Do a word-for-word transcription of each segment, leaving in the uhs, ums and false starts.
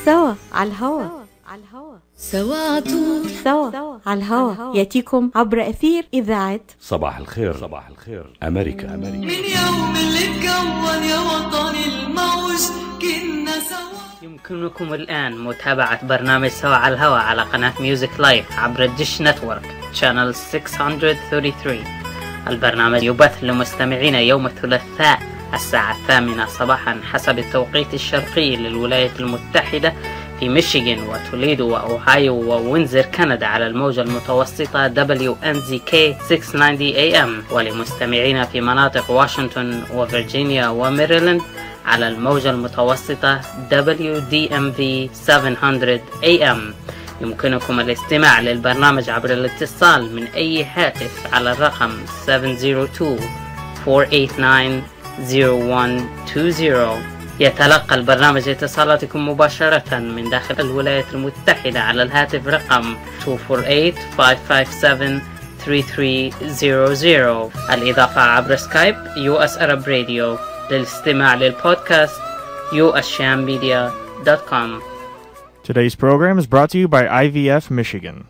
سوا على الهوا على الهوا سوا عطول سوا على الهوا ياتيكم عبر أثير إذاعة صباح الخير. صباح الخير أمريكا. أمريكا. من يوم اللي تكون يا وطني الموج كنا سوا. يمكنكم الآن متابعة برنامج سوا على الهوا على قناة ميوزك لايف عبر الديش نتورك شانل ستمائة وثلاثة وثلاثين. البرنامج يبث لمستمعين يوم الثلاثاء الساعة الثامنة صباحا حسب التوقيت الشرقي للولايات المتحدة في ميشيغان وتوليدو وأوهايو ووينزر كندا على الموجة المتوسطة دبليو إن زد كي ستمائة وتسعين إيه إم، ولمستمعين في مناطق واشنطن وفرجينيا وميريلاند على الموجة المتوسطة دبليو دي إم في سبعمائة إيه إم. يمكنكم الاستماع للبرنامج عبر الاتصال من أي هاتف على الرقم سبعة صفر اثنين أربعة ثمانية تسعة صفر واحد اثنين صفر. يتلقى البرنامج اتصالاتكم مباشرة من داخل الولايات المتحدة على الهاتف رقم اثنين أربعة ثمانية خمسة سبعة ثلاثة ثلاثة صفر صفر. الإضافة عبر سكايب يو إس Arab Radio. للاستماع للبودكاست يو إس شام ميديا دوت كوم. Today's program is brought to you by I V F Michigan.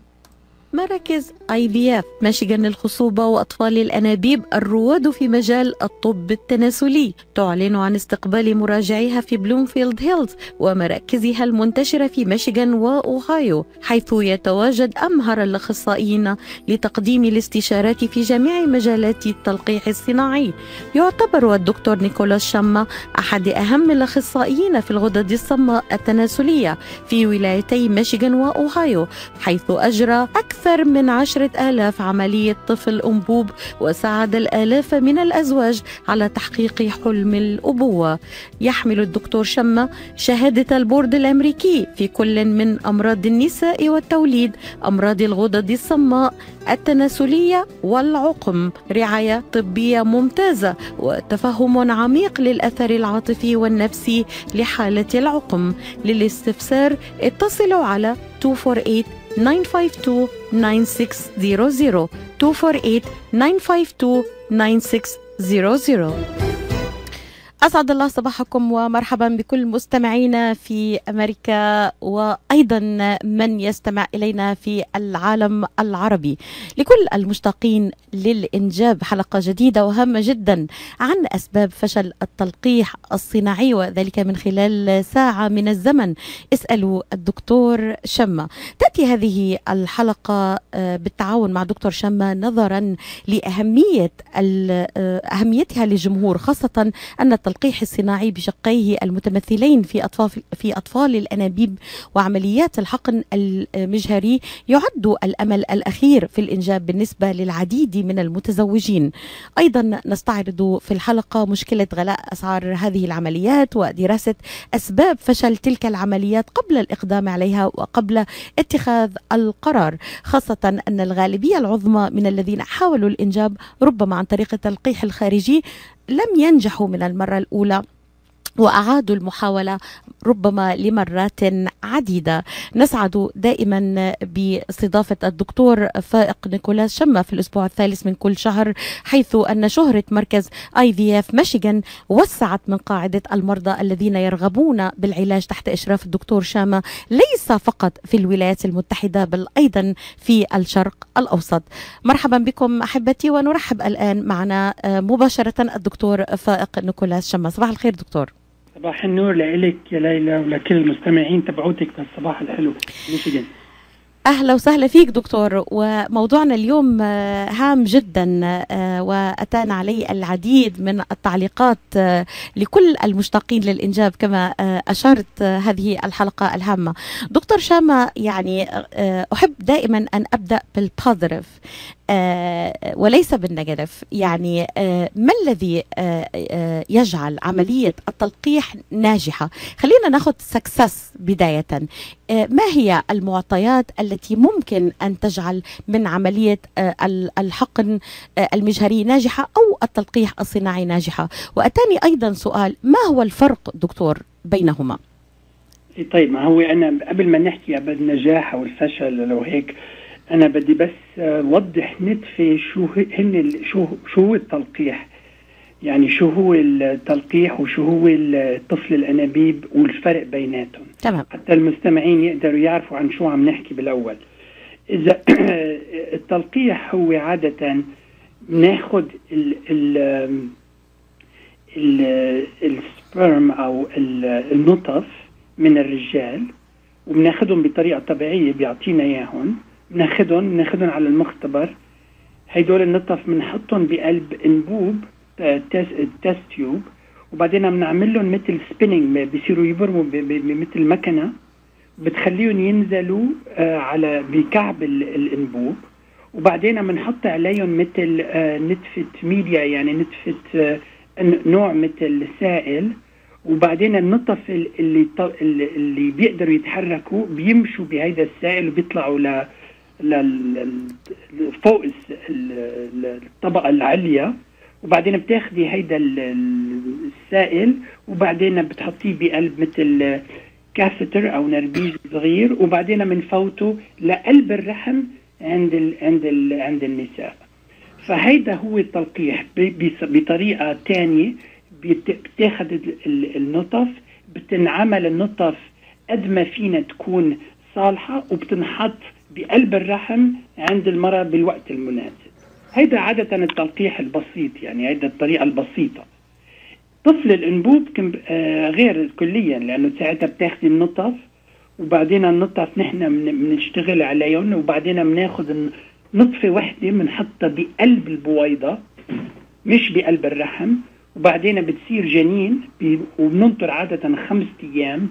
مراكز آي في إف ميشيغان للخصوبة وأطفال الأنابيب الرواد في مجال الطب التناسلي تعلن عن استقبال مراجعيها في بلومفيلد هيلز ومراكزها المنتشرة في ميشيغان وأوهايو، حيث يتواجد أمهر الأخصائيين لتقديم الاستشارات في جميع مجالات التلقيح الصناعي. يعتبر الدكتور نيكولاس شاما أحد أهم الأخصائيين في الغدد الصماء التناسلية في ولايتي ميشيغان وأوهايو، حيث أجرى أكثر أكثر من عشرة آلاف عملية طفل أنبوب وساعد الآلاف من الأزواج على تحقيق حلم الأبوة. يحمل الدكتور شاما شهادة البورد الأمريكي في كل من أمراض النساء والتوليد، أمراض الغدد الصماء التناسلية والعقم، رعاية طبية ممتازة وتفهم عميق للأثر العاطفي والنفسي لحالة العقم. للاستفسار اتصلوا على اثنين أربعة ثمانية خمسة اثنين تسعة صفر صفر اثنين أربعة ثمانية خمسة اثنين تسعة صفر صفر. أسعد الله صباحكم ومرحبا بكل مستمعينا في أمريكا وأيضا من يستمع إلينا في العالم العربي. لكل المشتاقين للإنجاب حلقة جديدة وهامة جدا عن أسباب فشل التلقيح الصناعي، وذلك من خلال ساعة من الزمن. اسألوا الدكتور شاما. تأتي هذه الحلقة بالتعاون مع دكتور شاما نظرا لأهمية أهميتها للجمهور، خاصة أن التلقيح الصناعي بشقيه المتمثلين في أطفال في أطفال الأنابيب وعمليات الحقن المجهري يعد الأمل الأخير في الإنجاب بالنسبة للعديد من المتزوجين. أيضا نستعرض في الحلقة مشكلة غلاء أسعار هذه العمليات ودراسة أسباب فشل تلك العمليات قبل الإقدام عليها وقبل اتخاذ القرار، خاصة أن الغالبية العظمى من الذين حاولوا الإنجاب ربما عن طريق التلقيح الخارجي لم ينجحوا من المرة الأولى وأعادوا المحاولة ربما لمرات عديدة. نسعد دائما باستضافة الدكتور فائق نيكولاس شاما في الأسبوع الثالث من كل شهر، حيث أن شهرة مركز آي في إف ميشيغان وسعت من قاعدة المرضى الذين يرغبون بالعلاج تحت إشراف الدكتور شاما، ليس فقط في الولايات المتحدة بل أيضا في الشرق الأوسط. مرحبا بكم أحبتي، ونرحب الآن معنا مباشرة الدكتور فائق نيكولاس شاما. صباح الخير دكتور. صباح النور لإلك يا ليلى ولكل المستمعين تبعوتك في الصباح الحلو ميشيغان. أهلا وسهلا فيك دكتور، وموضوعنا اليوم هام جدا وأتانا عليه العديد من التعليقات لكل المشتاقين للإنجاب كما أشرت هذه الحلقة الهامة. دكتور شاما، يعني أحب دائما أن أبدأ بالبوزيتيف وليس بالنيجاتيف. يعني ما الذي يجعل عملية التلقيح ناجحة؟ خلينا ناخذ سكسس بداية. ما هي المعطيات التي ممكن أن تجعل من عملية الحقن المجهري ناجحة أو التلقيح الصناعي ناجحة؟ وأتاني أيضا سؤال، ما هو الفرق دكتور بينهما؟ طيب، ما هو أنا قبل ما نحكي بالنجاح أو الفشل لو هيك أنا بدي بس وضح نتفة شو هن شو شو التلقيح. يعني شو هو التلقيح وشو هو الطفل الأنابيب والفرق بيناتهم، تمام. حتى المستمعين يقدروا يعرفوا عن شو عم نحكي بالأول. إذا التلقيح هو عادة ناخد ال ال السبرم أو النطف من الرجال وبناخدهم بطريقة طبيعية، بيعطينا إياهم، بناخدهم بناخدهم على المختبر. هيدول النطف بنحطهم بقلب انبوب تيست تيوب، وبعدين بنعمل لهم مثل سبيننج، بيصيروا يبرموا مثل مكنه، بتخليهم ينزلوا على بكعب الانبوب، وبعدين بنحط عليهم مثل نتفه ميديا، يعني نتفه نوع مثل سائل، وبعدين النطف اللي اللي بيقدروا يتحركوا بيمشوا بهيدا السائل وبيطلعوا ل فوق الطبقة العليا، وبعدين بتاخدي هيدا السائل وبعدين بتحطيه بقلب مثل كاثتر او نربيج صغير، وبعدين بنفوته لقلب الرحم عند ال عند ال عند النساء. فهيدا هو التلقيح بطريقة تانية. بتاخد النطف، بتنعمل النطف قد ما فينا تكون صالحة، وبتنحط بقلب الرحم عند المرأة بالوقت المناسب. هيدا عادة التلقيح البسيط، يعني هيدا الطريقة البسيطة. طفل الأنبوب آه غير كليا، لأنه ساعتها بتاخدي النطف وبعدين النطف نحن بنشتغل عليهم، وبعدين بناخد نطفة وحدة بنحطها بقلب البويضة مش بقلب الرحم، وبعدين بتصير جنين، وبننطر عادة خمسة أيام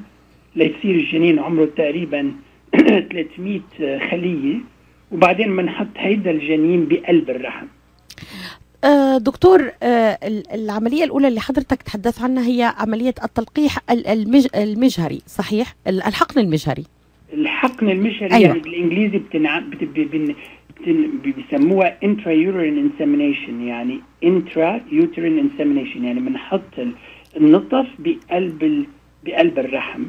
ليصير الجنين عمره تقريبا ثلاثمية خلية، وبعدين بنحط هيدا الجنين بقلب الرحم. آه دكتور، آه العملية الأولى اللي حضرتك تحدث عنها هي عملية التلقيح المج... المجهري، صحيح؟ الحقن المجهري. الحقن المجهري، أيوة. يعني بالإنجليزي بتنع... بت... بن... بيسموها intrauterine insemination، يعني intrauterine insemination، يعني بنحط النطف بقلب ال... بقلب الرحم،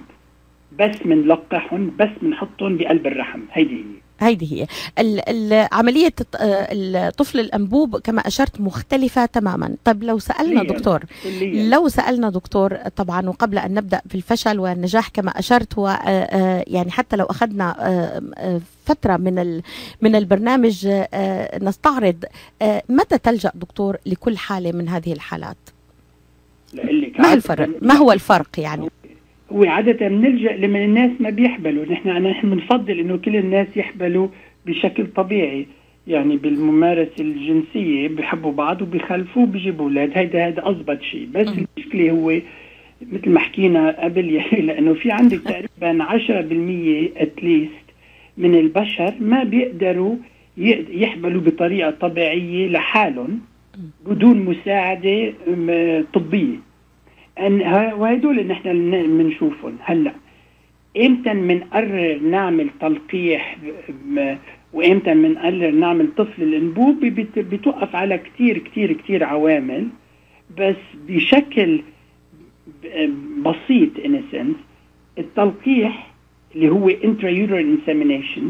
بس منلقحهم، بس منحطهم بقلب الرحم. هيدي هي هيدي هي عملية الطفل الأنبوب كما أشرت مختلفة تماما. طب لو سألنا دكتور لو سألنا دكتور طبعا، وقبل أن نبدأ في الفشل والنجاح كما أشرت، ويعني حتى لو أخذنا فترة من من البرنامج نستعرض، متى تلجأ دكتور لكل حالة من هذه الحالات؟ ما الفرق؟ ما هو الفرق يعني؟ هو عادة بنلجأ لمن الناس ما بيحبلوا. نحن نحن بنفضل إنه كل الناس يحبلوا بشكل طبيعي، يعني بالممارسة الجنسية بيحبوا بعض وبيخلفوا وبيجيبوا أولاد. هيدا هيدا أضبط شيء. بس المشكلة هو مثل ما حكينا قبل، يعني لأنه في عندك تقريبا عشرة بالمية أتليست من البشر ما بيقدروا يحبلوا بطريقة طبيعية لحالهم بدون مساعدة طبية. وهدول اللي نحن بنشوفهم هلا. امتى بنقرر نعمل تلقيح وامتى بنقرر نعمل طفل الانبوب؟ بتوقف على كتير كتير كتير عوامل، بس بشكل بسيط in a sense التلقيح اللي هو intrauterine insemination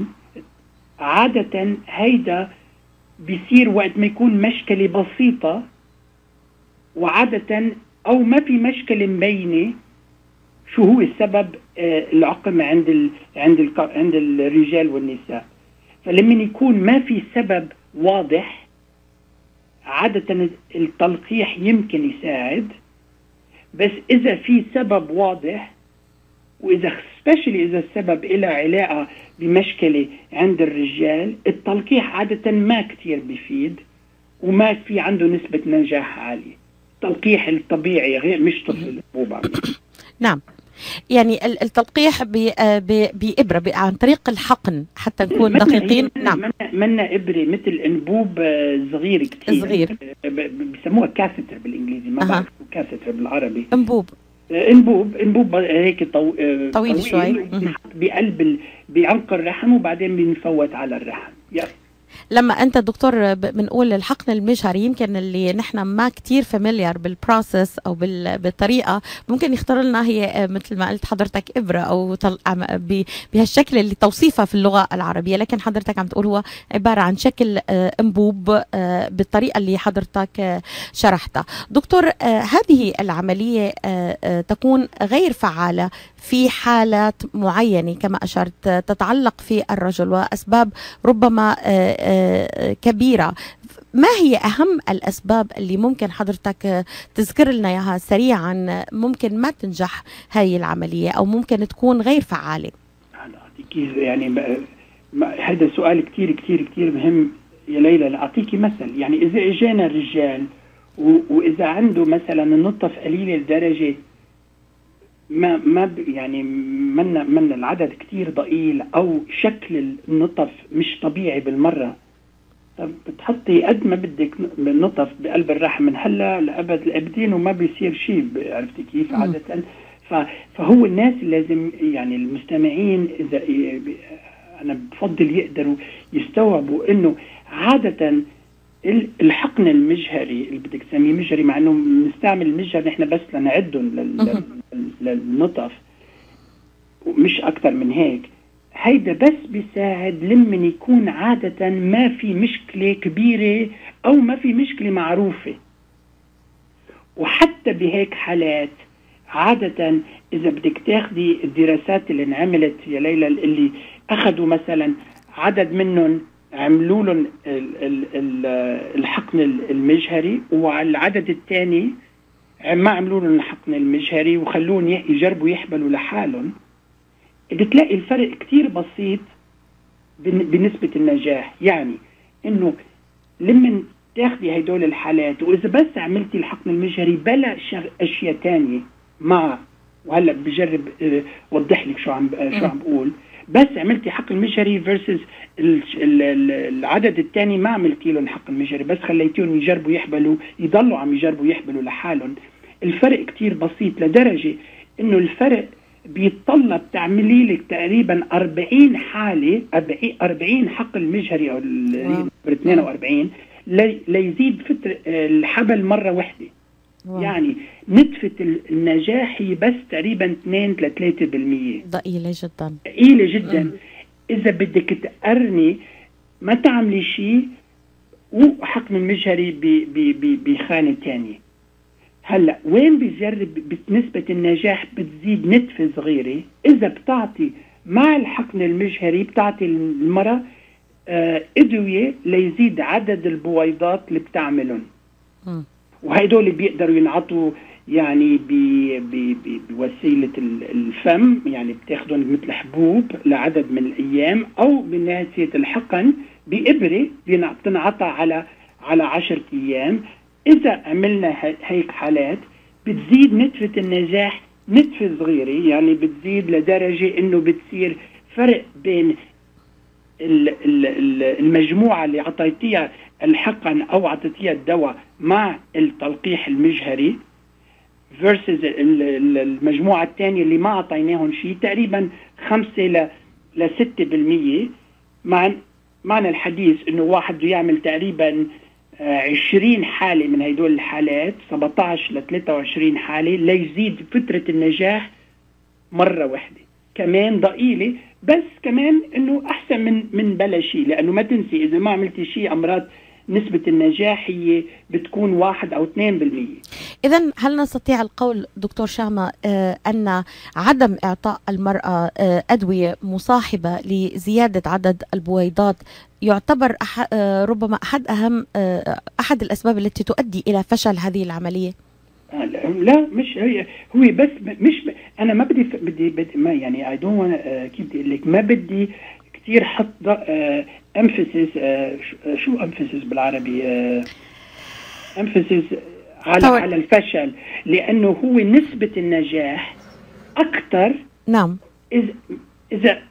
عادة هيدا بيصير وقت ما يكون مشكلة بسيطة، وعادة أو ما في مشكلة مبينة شو هو السبب العقم عند ال عند ال عند الرجال والنساء. فلما يكون ما في سبب واضح عادة التلقيح يمكن يساعد. بس إذا في سبب واضح، وإذا especially إذا السبب له علاقة بمشكلة عند الرجال، التلقيح عادة ما كتير بيفيد وما في عنده نسبة نجاح عالية. التلقيح الطبيعي غير مش طفل الأنبوب. نعم، يعني التلقيح بإبرة عن طريق الحقن حتى نكون دقيقين. نعم، منا إبرة مثل أنبوب صغير كتير، صغير بيسموها كاثتر بالإنجليزي، ما بعرف كاثتر بالعربي. أنبوب انبوب انبوب هيك طو... طويل, طويل شوي بقلب ال... بعنق الرحم، وبعدين بنفوت على الرحم. يس. لما انت دكتور بنقول الحقن المجهري، يمكن اللي نحن ما كتير فاميليار بالبروسس او بالطريقه، ممكن يختار لنا هي مثل ما قلت حضرتك ابره او بهالشكل اللي توصيفها في اللغه العربيه، لكن حضرتك عم تقول هو عباره عن شكل انبوب بالطريقه اللي حضرتك شرحتها. دكتور، هذه العمليه تكون غير فعاله في حالات معينه كما اشرت تتعلق في الرجل واسباب ربما كبيرة. ما هي أهم الأسباب اللي ممكن حضرتك تذكر لنا إياها سريعا ممكن ما تنجح هاي العملية أو ممكن تكون غير فعالة؟ يعني هذا سؤال كتير كتير كتير مهم يا ليلى. لأعطيكي مثل، يعني إذا إجانا الرجال وإذا عنده مثلا النطف قليلة لدرجة ما ما يعني من من العدد كتير ضئيل أو شكل النطف مش طبيعي بالمرة، طب بتحطي قد ما بدك نطف بقلب الرحم من هلا لأبد الأبدين وما بيصير شيء. عرفتي كيف؟ عادة فهو الناس لازم يعني المستمعين إذا أنا بفضل يقدروا يستوعبوا إنه عادة الحقن المجهري اللي بدك تسميه مجهري، مع إنه نستعمل المجهر نحن بس لنعدهم للنطف مش أكتر من هيك، هيدا بس بيساعد لمن يكون عادة ما في مشكلة كبيرة أو ما في مشكلة معروفة. وحتى بهيك حالات عادة إذا بدك تاخدي الدراسات اللي انعملت يا ليلى اللي أخذوا مثلا عدد منهم عملوا لهم الحقن المجهري وعلى العدد الثاني ما عملوا لهم الحقن المجهري وخلوهم يجربوا يحبلوا لحالهم، بتلاقي الفرق كتير بسيط بنسبة النجاح. يعني انه لمن تاخدي هيدول الحالات واذا بس عملتي الحقن المجهري بلا اشياء تانية مع، وهلا بجرب وضح لك شو عم شو عم بقول، بس عملتي حقن مجهري فيرسز العدد الثاني ما عملتي لهم حقن مجهري بس خليتيهم يجربوا يحبلوا يضلوا عم يجربوا يحبلوا لحالهم، الفرق كتير بسيط لدرجة انه الفرق بيتطلب تعملي لك تقريبا أربعين حالة أربعين حقل مجهري أو اثنين وأربعين ليزيد فترة الحبل مرة واحدة. واو. يعني نتفة النجاح هي بس تقريبا اثنين إلى ثلاثة بالمية، ضئيلة جدا ضئيلة جدا. مم. إذا بدك تقرني ما تعملي شيء وحقن المجهري بخانة تانية. هلا وين بيجرب بنسبة النجاح بتزيد نتفة صغيرة إذا بتعطي مع الحقن المجهري بتعطي المرأة آه أدوية ليزيد عدد البويضات اللي بتعملهم، وهيدول بيقدروا ينعطوا يعني بوسيلة الفم، يعني بتاخدهم مثل حبوب لعدد من الأيام أو بنهاية الحقن بإبرة بتنعطى على على عشرة أيام. إذا عملنا هيك حالات بتزيد نتفة النجاح نتفة صغيرة، يعني بتزيد لدرجة إنه بتصير فرق بين المجموعة اللي عطيتيها الحقن أو عطيتيها الدواء مع التلقيح المجهري versus المجموعة الثانية اللي ما عطيناهم شيء تقريبا خمسة لستة بالمية. مع معنى الحديث إنه واحد يعمل تقريبا عشرين حالة من هيدول الحالات سبعة عشر إلى ثلاثة وعشرين حالة ليزيد فترة النجاح مرة واحدة. كمان ضئيلة بس كمان انه احسن من من بلا شيء، لانه ما تنسي اذا ما عملتي شيء امراض نسبة النجاح هي بتكون واحد او اثنين بالمية. اذا هل نستطيع القول دكتور شامة آه ان عدم اعطاء المرأة آه ادوية مصاحبة لزيادة عدد البويضات يعتبر أح آه ربما احد اهم آه احد الاسباب التي تؤدي الى فشل هذه العملية؟ لا مش هي هو بس مش ب... انا ما بدي بدي, بدي ما يعني اي دونت كيف بدي اقول لك ما بدي كثير حط امفيسيس شو امفيسيس بالعربي امفيسيس على طبعا. على الفشل، لانه هو نسبة النجاح اكثر. نعم اذا اذا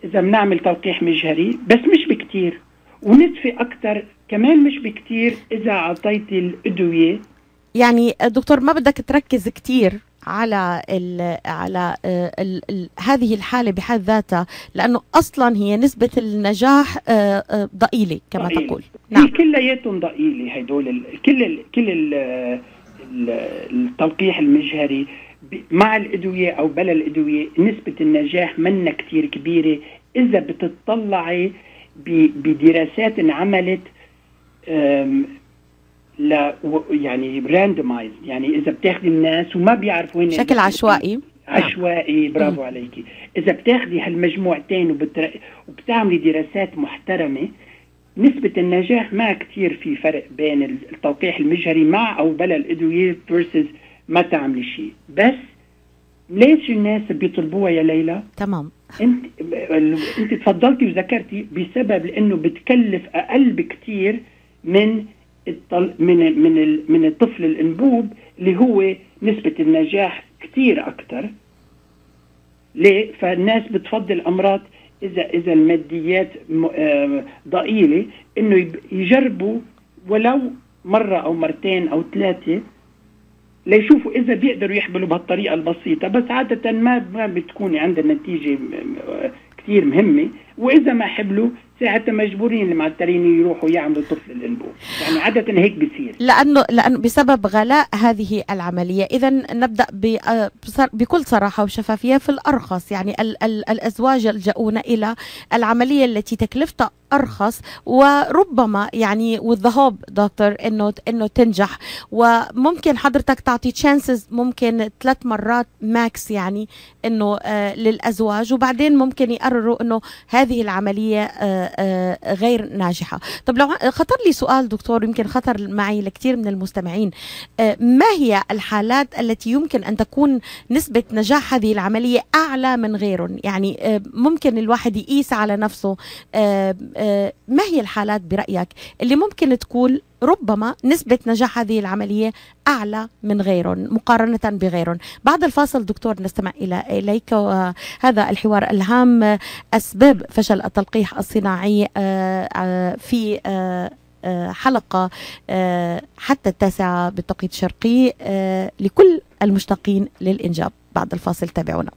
اذا بنعمل تلقيح مجهري بس مش بكثير، ونتفة اكثر كمان مش بكثير اذا اعطيتي الادوية. يعني دكتور ما بدك تركز كتير على ال على ال ال هذه الحالة بحد ذاتها، لأنه أصلا هي نسبة النجاح ضئيلة كما ضئيلة. تقول. نعم، كلياتهم ضئيلة هيدول ال كل ال كل ال التلقيح المجهري مع الأدوية أو بلا الأدوية، نسبة النجاح منا كتير كبيرة إذا بتطلعي بدراسات انعملت لا يعني راندمايز، يعني إذا بتاخدي الناس وما بيعرفوا وين بشكل عشوائي عشوائي برافو عليكي. إذا بتاخدي هالمجموعتين وبتر... وبتعملي دراسات محترمة، نسبة النجاح ما كتير في فرق بين التلقيح المجهري مع أو بلا الأدوية versus ما تعملي شيء. بس ليش الناس بيطلبوها يا ليلى؟ تمام، انت انت تفضلتي وذكرتي بسبب لانه بتكلف اقل بكتير من الطل... من من ال... من الطفل الانبوب اللي هو نسبة النجاح كتير اكتر. ليه؟ فالناس بتفضل امراض اذا اذا الماديات ضئيلة انه يجربوا ولو مرة او مرتين او ثلاثة ليشوفوا إذا بيقدروا يحملوا بهالطريقة البسيطة. بس عادة ما ما بتكون عند النتيجة كتير مهمة، وإذا ما حبلوا ساعتها مجبورين المعترين يروحوا يعملوا طفل الانبوب. يعني عادة هيك بيصير، لأنه لأنه بسبب غلاء هذه العملية. إذا نبدأ بكل صراحة وشفافية في الأرخص، يعني ال ال الأزواج يلجؤون إلى العملية التي تكلفتها أرخص، وربما يعني والذهاب دكتور إنه إنه تنجح. وممكن حضرتك تعطي تشانسز ممكن ثلاث مرات ماكس، يعني إنه آه للأزواج، وبعدين ممكن يقرروا إنه هذه العملية آه آه غير ناجحة. طب لو خطر لي سؤال دكتور، يمكن خطر معي لكثير من المستمعين، آه ما هي الحالات التي يمكن أن تكون نسبة نجاح هذه العملية أعلى من غيرهم؟ يعني آه ممكن الواحد يقيس على نفسه آه آه ما هي الحالات برأيك اللي ممكن تكون ربما نسبة نجاح هذه العملية أعلى من غيرهم مقارنة بغيرهم؟ بعد الفاصل دكتور نستمع إلى إليك وهذا الحوار الهام، أسباب فشل التلقيح الصناعي في حلقة حتى التاسعة بالتوقيت الشرقي لكل المشتاقين للإنجاب. بعد الفاصل تابعونا.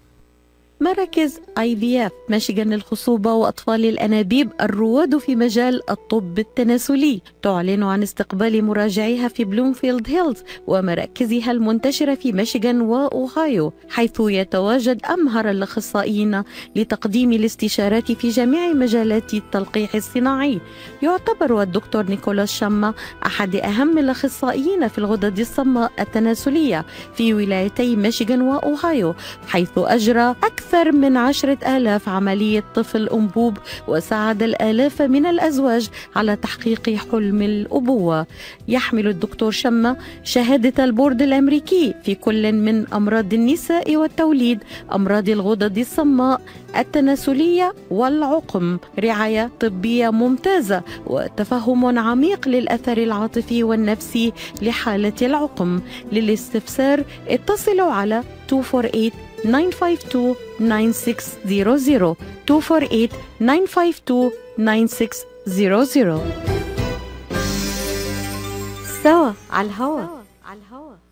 مراكز آي في إف ميشيغان للخصوبة وأطفال الأنابيب الرواد في مجال الطب التناسلي تعلن عن استقبال مراجعيها في بلومفيلد هيلز ومراكزها المنتشرة في ميشيغان وأوهايو، حيث يتواجد أمهر الأخصائيين لتقديم الاستشارات في جميع مجالات التلقيح الصناعي. يعتبر الدكتور نيكولاس شما أحد أهم الأخصائيين في الغدد الصماء التناسلية في ولايتي ميشيغان وأوهايو، حيث أجرى أكثر أكثر من عشرة آلاف عملية طفل أنبوب، وساعد الآلاف من الأزواج على تحقيق حلم الأبوة. يحمل الدكتور شما شهادة البورد الأمريكي في كل من أمراض النساء والتوليد، أمراض الغدد الصماء التناسلية والعقم، رعاية طبية ممتازة وتفهم عميق للأثر العاطفي والنفسي لحالة العقم. للاستفسار اتصلوا على two four eight nine five two nine six zero zero two four eight nine five two nine six zero zero. سوا على الهوا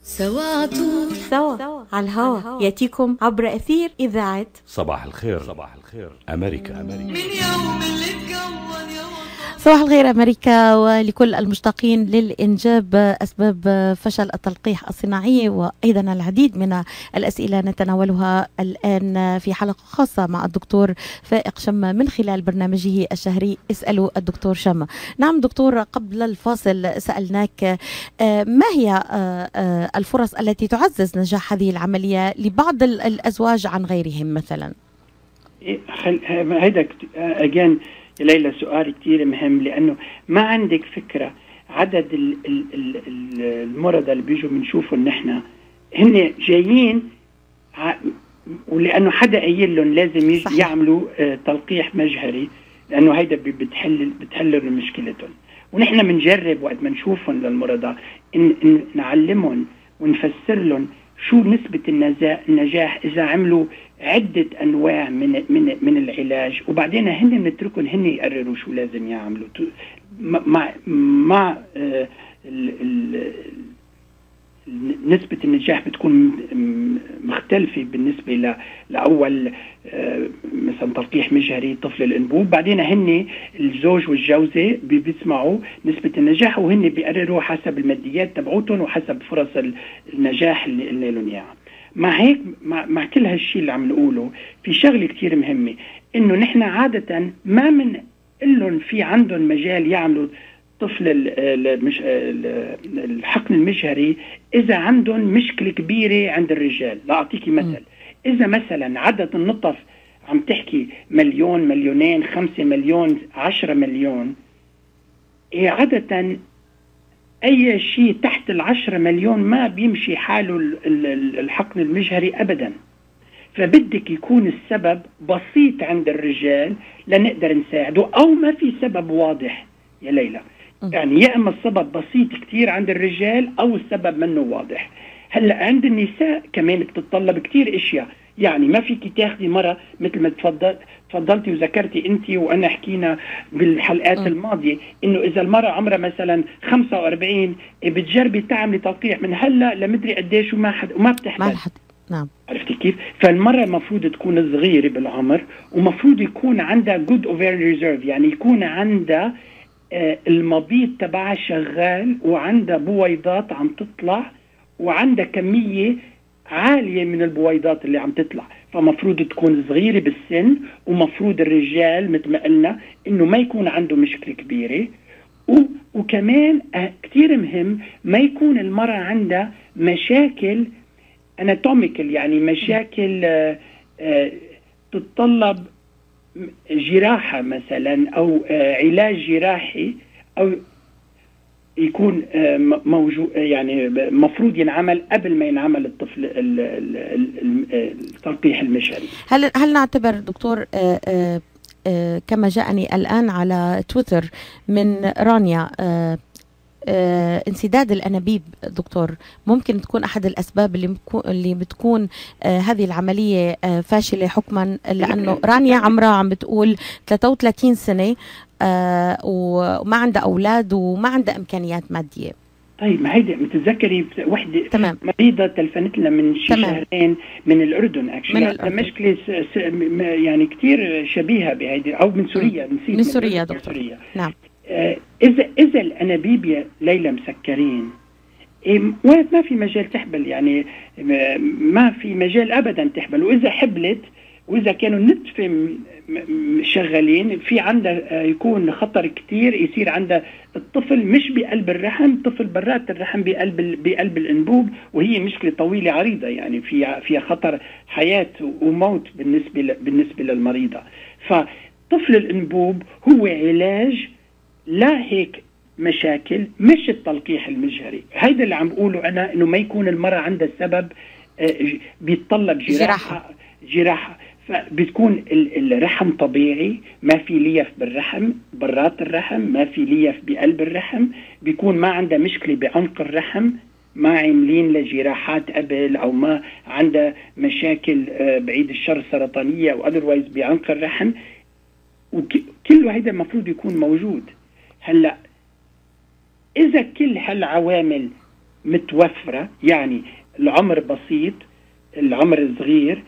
سوا عطول سوا على الهوا يأتيكم عبر أثير إذاعة صباح الخير. صباح الخير أمريكا. أمريكا. من يوم اللي اتكون يا صباح الخير أمريكا، ولكل المشتاقين للإنجاب أسباب فشل التلقيح الصناعي وأيضا العديد من الأسئلة نتناولها الآن في حلقة خاصة مع الدكتور فائق شما من خلال برنامجه الشهري اسألوا الدكتور شما. نعم دكتور، قبل الفاصل سألناك ما هي الفرص التي تعزز نجاح هذه العملية لبعض الأزواج عن غيرهم مثلا؟ هيدا أجان ليلى سؤال كتير مهم، لأنه ما عندك فكرة عدد المرضى اللي بيجوا بنشوفهم نحن هن جايين ولأنه حدا قايل لهم لازم يعملوا تلقيح مجهري، لأنه هيدا بتحل بتحل مشكلتهم. ونحن بنجرب وقت ما نشوفهم للمرضى إن, إن نعلمهم ونفسر لهم شو نسبة النجاح إذا عملوا عدة أنواع من من من العلاج، وبعدين هن نتركهم هن يقرروا شو لازم يعملوا مع مع نسبة النجاح بتكون مختلفة بالنسبة ل لأول مثلا تلقيح مجهري طفل الأنبوب. بعدين هن الزوج والجوزة بيسمعوا نسبة النجاح وهن بيقرروا حسب الماديات تبعوتهم وحسب فرص النجاح اللي قلنا لهم إياها. مع هيك مع, مع كل هالشيء اللي عم نقوله في شغلة كتير مهمة، إنه نحن عادة ما من لهم في عندهم مجال يعملوا طفل الحقن المجهري إذا عندهم مشكلة كبيرة عند الرجال. لا أعطيكي مثل، إذا مثلا عدد النطف عم تحكي مليون مليونين خمسة مليون عشرة مليون، إيه عادة أي شيء تحت العشرة مليون ما بيمشي حاله الحقن المجهري أبدا. فبدك يكون السبب بسيط عند الرجال لنقدر نساعده، أو ما في سبب واضح يا ليلى. يعني يا إما السبب بسيط كتير عند الرجال أو السبب منه واضح. هلأ عند النساء كمان بتتطلب كتير إشياء، يعني ما فيك تاخدي مرة مثل ما تفضل تفضلتي وذكرتي أنت وأنا حكينا بالحلقات م. الماضية، إنه إذا المرة عمرها مثلا خمسة وأربعين بتجربي تعملي تلقيح من هلأ لمدري قديش وما حد وما بتحتاج. نعم. عرفتي كيف؟ فالمرة المفروض تكون صغيرة بالعمر، ومفروض يكون عندها good ovarian reserve، يعني يكون عندها آه المبيض تبعها شغال وعندها بويضات عم تطلع وعندها كمية عالية من البويضات اللي عم تطلع. فمفروض تكون صغيرة بالسن، ومفروض الرجال مثل ما قلنا إنه ما يكون عنده مشكلة كبيرة، وكمان آه كتير مهم ما يكون المرة عندها مشاكل اناتوميكال، يعني مشاكل آه آه تتطلب جراحة مثلا أو آه علاج جراحي، أو يكون آه موجود يعني مفروض ينعمل قبل ما ينعمل الطفل التلقيح المجهري. هل هل نعتبر دكتور آه آه آه كما جاءني الآن على تويتر من رانيا آه آه، انسداد الأنابيب دكتور ممكن تكون أحد الأسباب اللي, اللي بتكون آه، هذه العملية آه، فاشلة حكما، لأنه رانيا عمرها عم بتقول ثلاثة وثلاثين سنة آه، وما عندها أولاد وما عندها إمكانيات مادية. طيب ما هيدا متذكري وحدة تمام. مريضة تلفنت لنا من شي شهرين من الأردن أكشلي، من الأردن. مشكلة يعني كتير شبيهة بهيدي، أو من سوريا، نسيت من سوريا دكتور. سوريا. نعم. إذا إذا الأنابيب ليلى مسكرين ما في مجال تحبل، يعني ما في مجال أبدا تحبل. وإذا حبلت وإذا كانوا النتفة شغالين في عندها يكون خطر كتير يصير عندها الطفل مش بقلب الرحم، طفل برات الرحم بقلب بقلب الأنبوب، وهي مشكلة طويلة عريضة يعني فيها فيها خطر حياة وموت بالنسبة بالنسبة للمريضة. فطفل الأنبوب هو علاج لا هيك مشاكل، مش التلقيح المجهري. هيدا اللي عم بقوله أنا، إنه ما يكون المرأة عندها سبب بيتطلب جراحة جراحة فبتكون الرحم طبيعي، ما في ليف بالرحم برات الرحم، ما في ليف بقلب الرحم، بيكون ما عندها مشكلة بعنق الرحم، ما عاملين لجراحات قبل، أو ما عندها مشاكل بعيد الشر سرطانية أو otherwise بعنق الرحم، وكل هيدا المفروض يكون موجود. هلأ إذا كل هالعوامل متوفرة، يعني العمر بسيط، العمر صغير،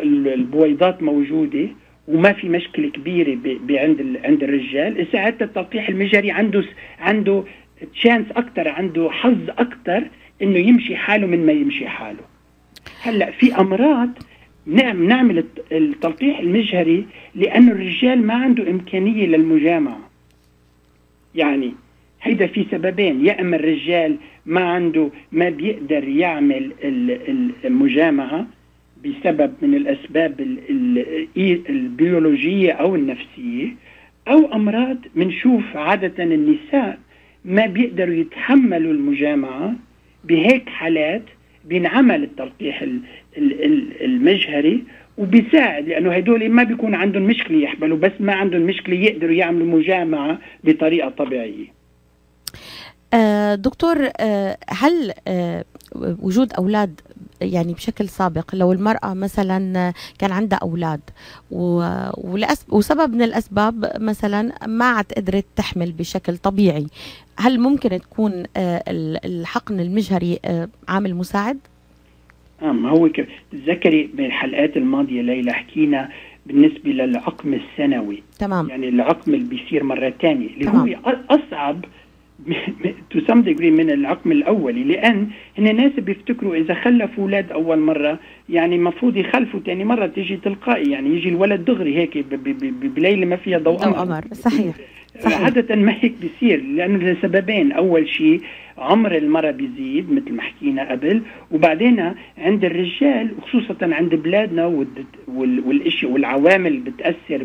البويضات موجودة، وما في مشكلة كبيرة عند عند الرجال، ساعتها التلقيح المجهري عنده عنده تشانس أكتر، عنده حظ أكتر إنه يمشي حاله من ما يمشي حاله. هلأ في أمراض نعم نعمل التلقيح المجهري لأنه الرجال ما عنده إمكانية للمجامعة. يعني هيدا في سببين، يا اما الرجال ما عنده ما بيقدر يعمل المجامعة بسبب من الأسباب البيولوجية أو النفسية، أو أمراض منشوف عادة النساء ما بيقدروا يتحملوا المجامعة. بهيك حالات بينعمل التلقيح المجهري وبيساعد، لأنه هدول ما بيكون عندهم مشكلة يحبلوا، بس ما عندهم مشكلة يقدروا يعملوا مجامعة بطريقة طبيعية. آه دكتور، آه هل آه وجود أولاد يعني بشكل سابق، لو المرأة مثلا كان عندها أولاد وسبب من الأسباب مثلا ما عاد قدرت تحمل بشكل طبيعي، هل ممكن تكون الحقن المجهري عامل مساعد؟ آه هو تذكري بالحلقات الماضية ليلى حكينا بالنسبة للعقم السنوي. تمام. يعني العقم اللي بيصير مرة تانية اللي هو أصعب to some degree من العقم الأولي، لأن هن ناس بيفتكروا إذا خلفوا أولاد أول مرة يعني مفروض يخلفوا تاني مرة تيجي تلقائي، يعني يجي الولد دغري هيك بليلة ما فيها ضوء قمر. صحيح. صحيح. عادة ما هيك بيصير، لأنه لسببين. أول شيء عمر المرأة بيزيد مثل ما حكينا قبل، وبعدين عند الرجال وخصوصا عند بلادنا والاشي والعوامل بتأثر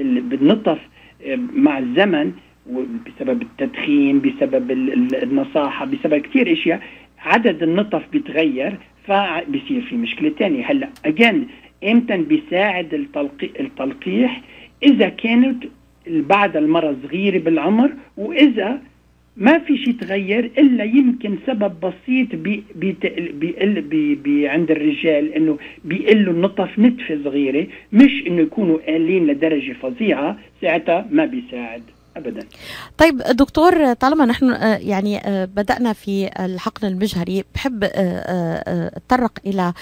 بالنطف مع الزمن، بسبب التدخين، بسبب النصاحة، بسبب كتير اشياء، عدد النطف بيتغير فبيصير في مشكلة تانية. هلا اجان امتى بيساعد التلقيح؟ اذا كانت بعد المرة صغيرة بالعمر، واذا ما في شيء تغير الا يمكن سبب بسيط بي بي بي بي بي عند الرجال انه بيقلوا النطف نتفة صغيرة، مش انه يكونوا قالين لدرجة فظيعة، ساعتها ما بيساعد أبدا. طيب دكتور، طالما نحن يعني بدأنا في الحقن المجهري، بحب أتطرق إلى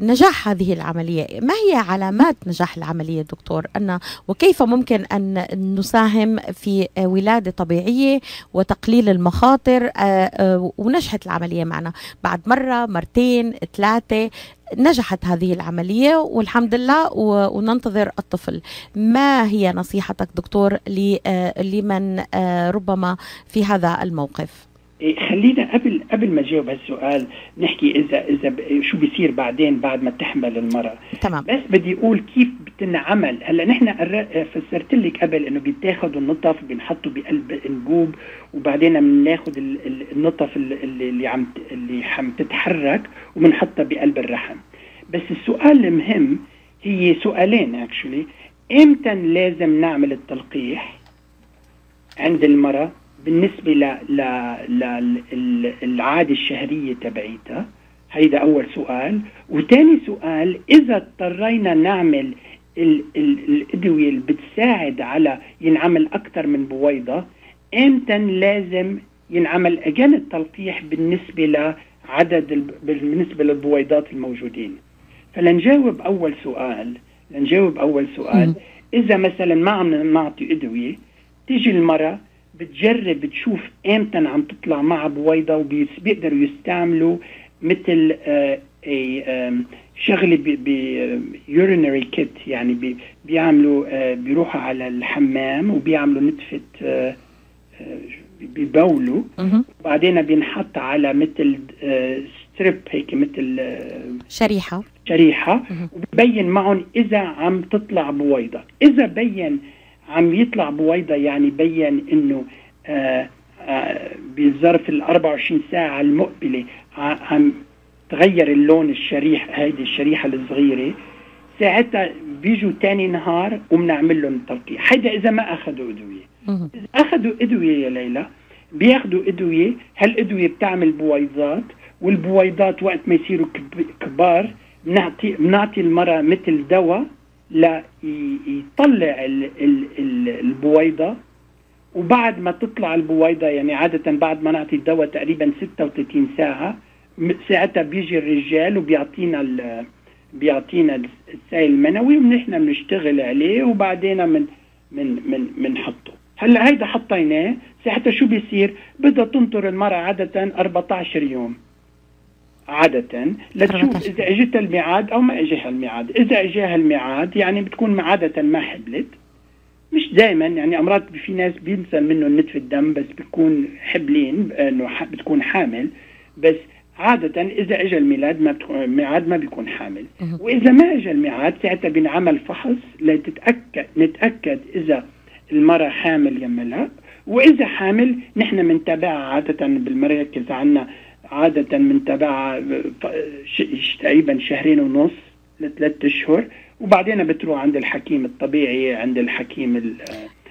نجاح هذه العملية. ما هي علامات نجاح العملية دكتور؟ أن وكيف ممكن أن نساهم في ولادة طبيعية وتقليل المخاطر ونجحت العملية معنا بعد مرة مرتين ثلاثة نجحت هذه العملية والحمد لله وننتظر الطفل؟ ما هي نصيحتك دكتور لمن ربما في هذا الموقف؟ خلينا قبل قبل ما جاوب هالسؤال نحكي اذا اذا شو بيصير بعدين بعد ما تحمل المرأة. تمام. بس بدي اقول كيف بتنعمل. هلا نحن فسرت لك قبل انه بيتاخذوا النطف بنحطه بقلب انبوب، وبعدين بناخذ النطف اللي عم اللي عم تتحرك وبنحطها بقلب الرحم. بس السؤال المهم هي سؤالين اكشولي. امتى لازم نعمل التلقيح عند المرأة بالنسبة ل ل للعادة الشهرية تبعيتها؟ هيدا أول سؤال. وتاني سؤال، إذا اضطرينا نعمل ال ال الأدوية اللي بتساعد على ينعمل أكثر من بويضة، إمتى لازم ينعمل أجان التلقيح بالنسبة لعدد بالنسبة للبويضات الموجودين؟ فلنجاوب أول سؤال لنجاوب أول سؤال م. إذا مثلا ما عم نعطي أدوية، تيجي المرأة بتجرب بتشوف امتى عم تطلع مع بويضة، وبيقدروا يستعملوا مثل آه آه شغلة بيورينري كيت، يعني بي بيعملوا آه بيروحوا على الحمام وبيعملوا نتفة آه آه بيبولوا، وبعدين بينحط على مثل آه ستريب هيك مثل آه شريحة شريحة وبيبين معهم إذا عم تطلع بويضة. إذا بين عم يطلع بويضة، يعني بين انه آآ آآ بظرف ال أربعة وعشرين ساعة المقبلة عم تغير اللون الشريح، هيدي الشريحة الصغيرة، ساعتها بيجوا تاني نهار وبنعمل لهم تلقيح. هيدا إذا ما أخذوا أدوية. إذا أخذوا أدوية يا ليلى، بياخدوا أدوية، هالأدوية بتعمل بويضات، والبويضات وقت ما يصيروا كبار بنعطي بنعطي المرأة مثل دواء لا يطلع ال ال ال البويضة. وبعد ما تطلع البويضة، يعني عادة بعد ما نعطي الدواء تقريبا ستة وثلاثين ساعة، ساعتها بيجي الرجال وبيعطينا بيعطينا السائل المنوي ونحن بنشتغل عليه، وبعدين من من من بنحطه. هلا هيدا حطيناه، ساعتها شو بيصير؟ بدها تنطر المرأة عادة أربعة عشر يوم عادة لتشوف إذا اجت الميعاد أو ما اجاها الميعاد. إذا اجاها الميعاد يعني بتكون عادة ما حبلت، مش دائما، يعني أمراض في ناس بينسى منه نتف الدم بس بتكون حبلين إنه بتكون حامل، بس عادة إذا اجى الميلاد ما بتكون الميعاد ما بيكون حامل. وإذا ما اجى الميعاد ساعتها بنعمل فحص لتتأكد نتأكد إذا المرأة حامل يم لا، وإذا حامل نحن بنتابعها عادة بالمراكز عنا، عادة بنتابعها تقريبا شهرين ونص لثلاث اشهر، وبعدين بتروح عند الحكيم الطبيعي، عند الحكيم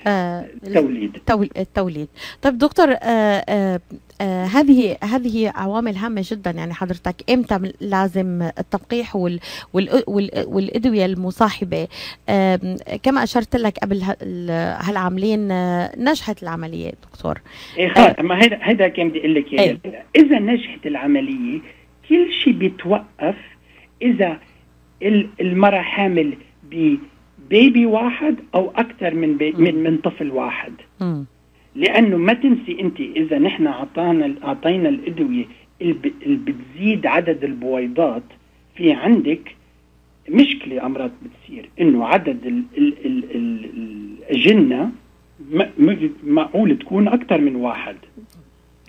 آه التوليد. التوليد. طيب دكتور، آه آه آه هذه هذه عوامل هامة جدا. يعني حضرتك امتى لازم التلقيح وال وال وال والادويه المصاحبه؟ آه كما اشرت لك قبل هالعاملين آه نجحت العمليه دكتور. ايه خلص، ما هيدا هيدا كان بدي اقول لك اياه. اذا نجحت العمليه كل شيء بيتوقف اذا المرأة حامل ببيبي واحد او اكثر من بي من من طفل واحد. م. لانه ما تنسي انت اذا نحن اعطانا اعطينا الادويه اللي بتزيد عدد البويضات، في عندك مشكله امراض بتصير انه عدد ال ال ال ال الاجنه معقول تكون اكثر من واحد.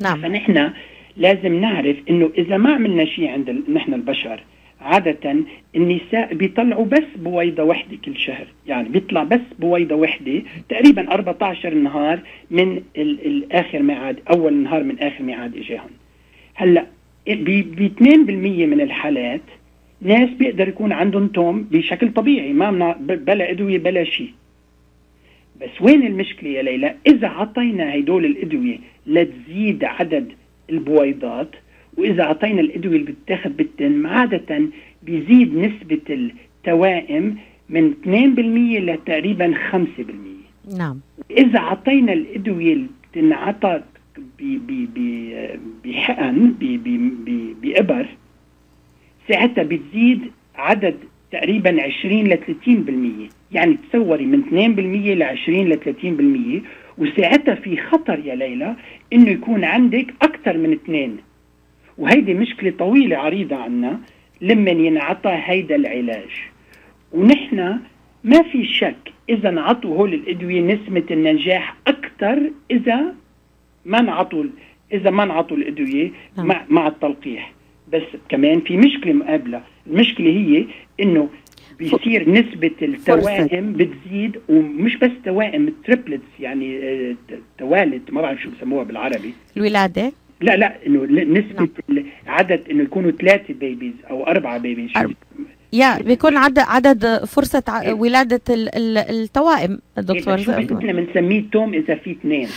نعم. فنحن لازم نعرف انه اذا ما عملنا شيء عند نحن البشر، عادة النساء بيطلعوا بس بويضة واحدة كل شهر، يعني بيطلع بس بويضة واحدة تقريبا أربعة عشر نهار من الآخر ميعاد، أول نهار من آخر ميعاد إجاهم. هلأ ب اثنين بالمية من الحالات ناس بيقدر يكون عندهم توم بشكل طبيعي، ما بلا أدوية بلا شيء. بس وين المشكلة يا ليلى؟ إذا عطينا هيدول الأدوية لتزيد عدد البويضات، وإذا عطينا الأدوية اللي بتاخد بالتم، عادة بيزيد نسبة التوائم من اثنين بالمية لتقريبا خمسة بالمية. نعم. إذا عطينا الأدوية اللي بتنعطى بحقن بإبر، ساعتها بتزيد عدد تقريبا عشرين لثلاثين بالمية، يعني تصوري من اثنين بالمية لعشرين لثلاثين بالمية. وساعتها في خطر يا ليلى إنه يكون عندك أكثر من اثنين، وهيدي مشكلة طويلة عريضة عنا لما ينعطى هيدا العلاج. ونحن ما في شك إذا نعطوا هول الأدوية نسبة النجاح أكثر إذا ما نعطوا إذا ما نعطوا الأدوية مع مع التلقيح. بس كمان في مشكلة مقابلة، المشكلة هي إنه بيصير نسبة التوائم بتزيد، ومش بس توائم، تريبلتس، يعني توالد، ما بعرف شو بسموها بالعربي، الولادة. لا لا انه نسبة العدد انه يكونوا ثلاثة بيبيز او اربعة بيبيز. يا بيكون عدد عدد فرصة ع... ولادة ال... ال... التوائم دكتور. احنا بنسميه توم اذا في اثنين،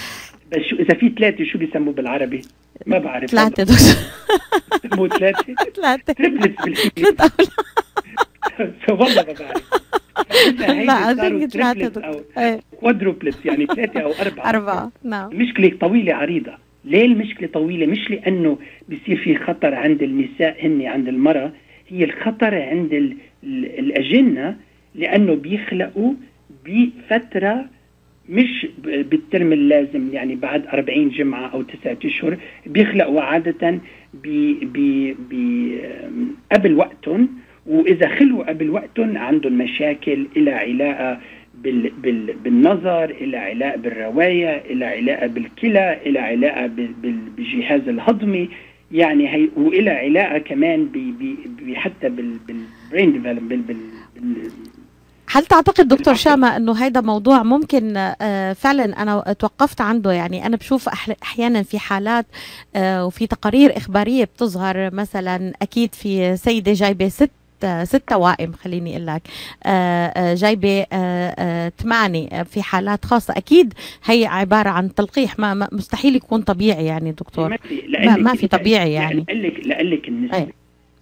بس شو اذا في ثلاثة شو بيسموه بالعربي؟ ما بعرف. ثلاثة دكتور. بيسموه ثلاثة؟ ثلاثة. تريبلتس بالانجليزي. والله ما بعرف. لا أظن ثلاثة او كوادروبلتس، يعني ثلاثة او اربعة. أربعة. نعم. مشكلة طويلة عريضة. ليه المشكلة طويلة؟ مش لأنه بيصير في خطر عند النساء هن عند المرأة، هي الخطر عند ال ال الأجنة، لأنه بيخلقوا بفترة مش بالترم اللازم، يعني بعد أربعين جمعة أو تسعة أشهر بيخلقوا عادة بي بي بي قبل وقتهم، وإذا خلوا قبل وقتهم عندهم مشاكل إلى علاقة بال بال بالنظر، إلى علاقة بالرواية، إلى علاقة بالكلى، إلى علاقة بالجهاز الهضمي، يعني هي، وإلى علاقة كمان ب ب حتى بال بالبرين ديفلوبمنت. بال بال هل تعتقد دكتور شامة انه هيدا موضوع ممكن آه فعلا انا توقفت عنده؟ يعني انا بشوف احيانا في حالات آه وفي تقارير اخبارية بتظهر، مثلا اكيد في سيدة جايبة ست ست توائم، خليني اقول لك جايبه ثمانيه في حالات خاصه، اكيد هي عباره عن تلقيح، ما مستحيل يكون طبيعي يعني دكتور. ما, ما في طبيعي يعني. لأقلك لأقلك النسبه أي.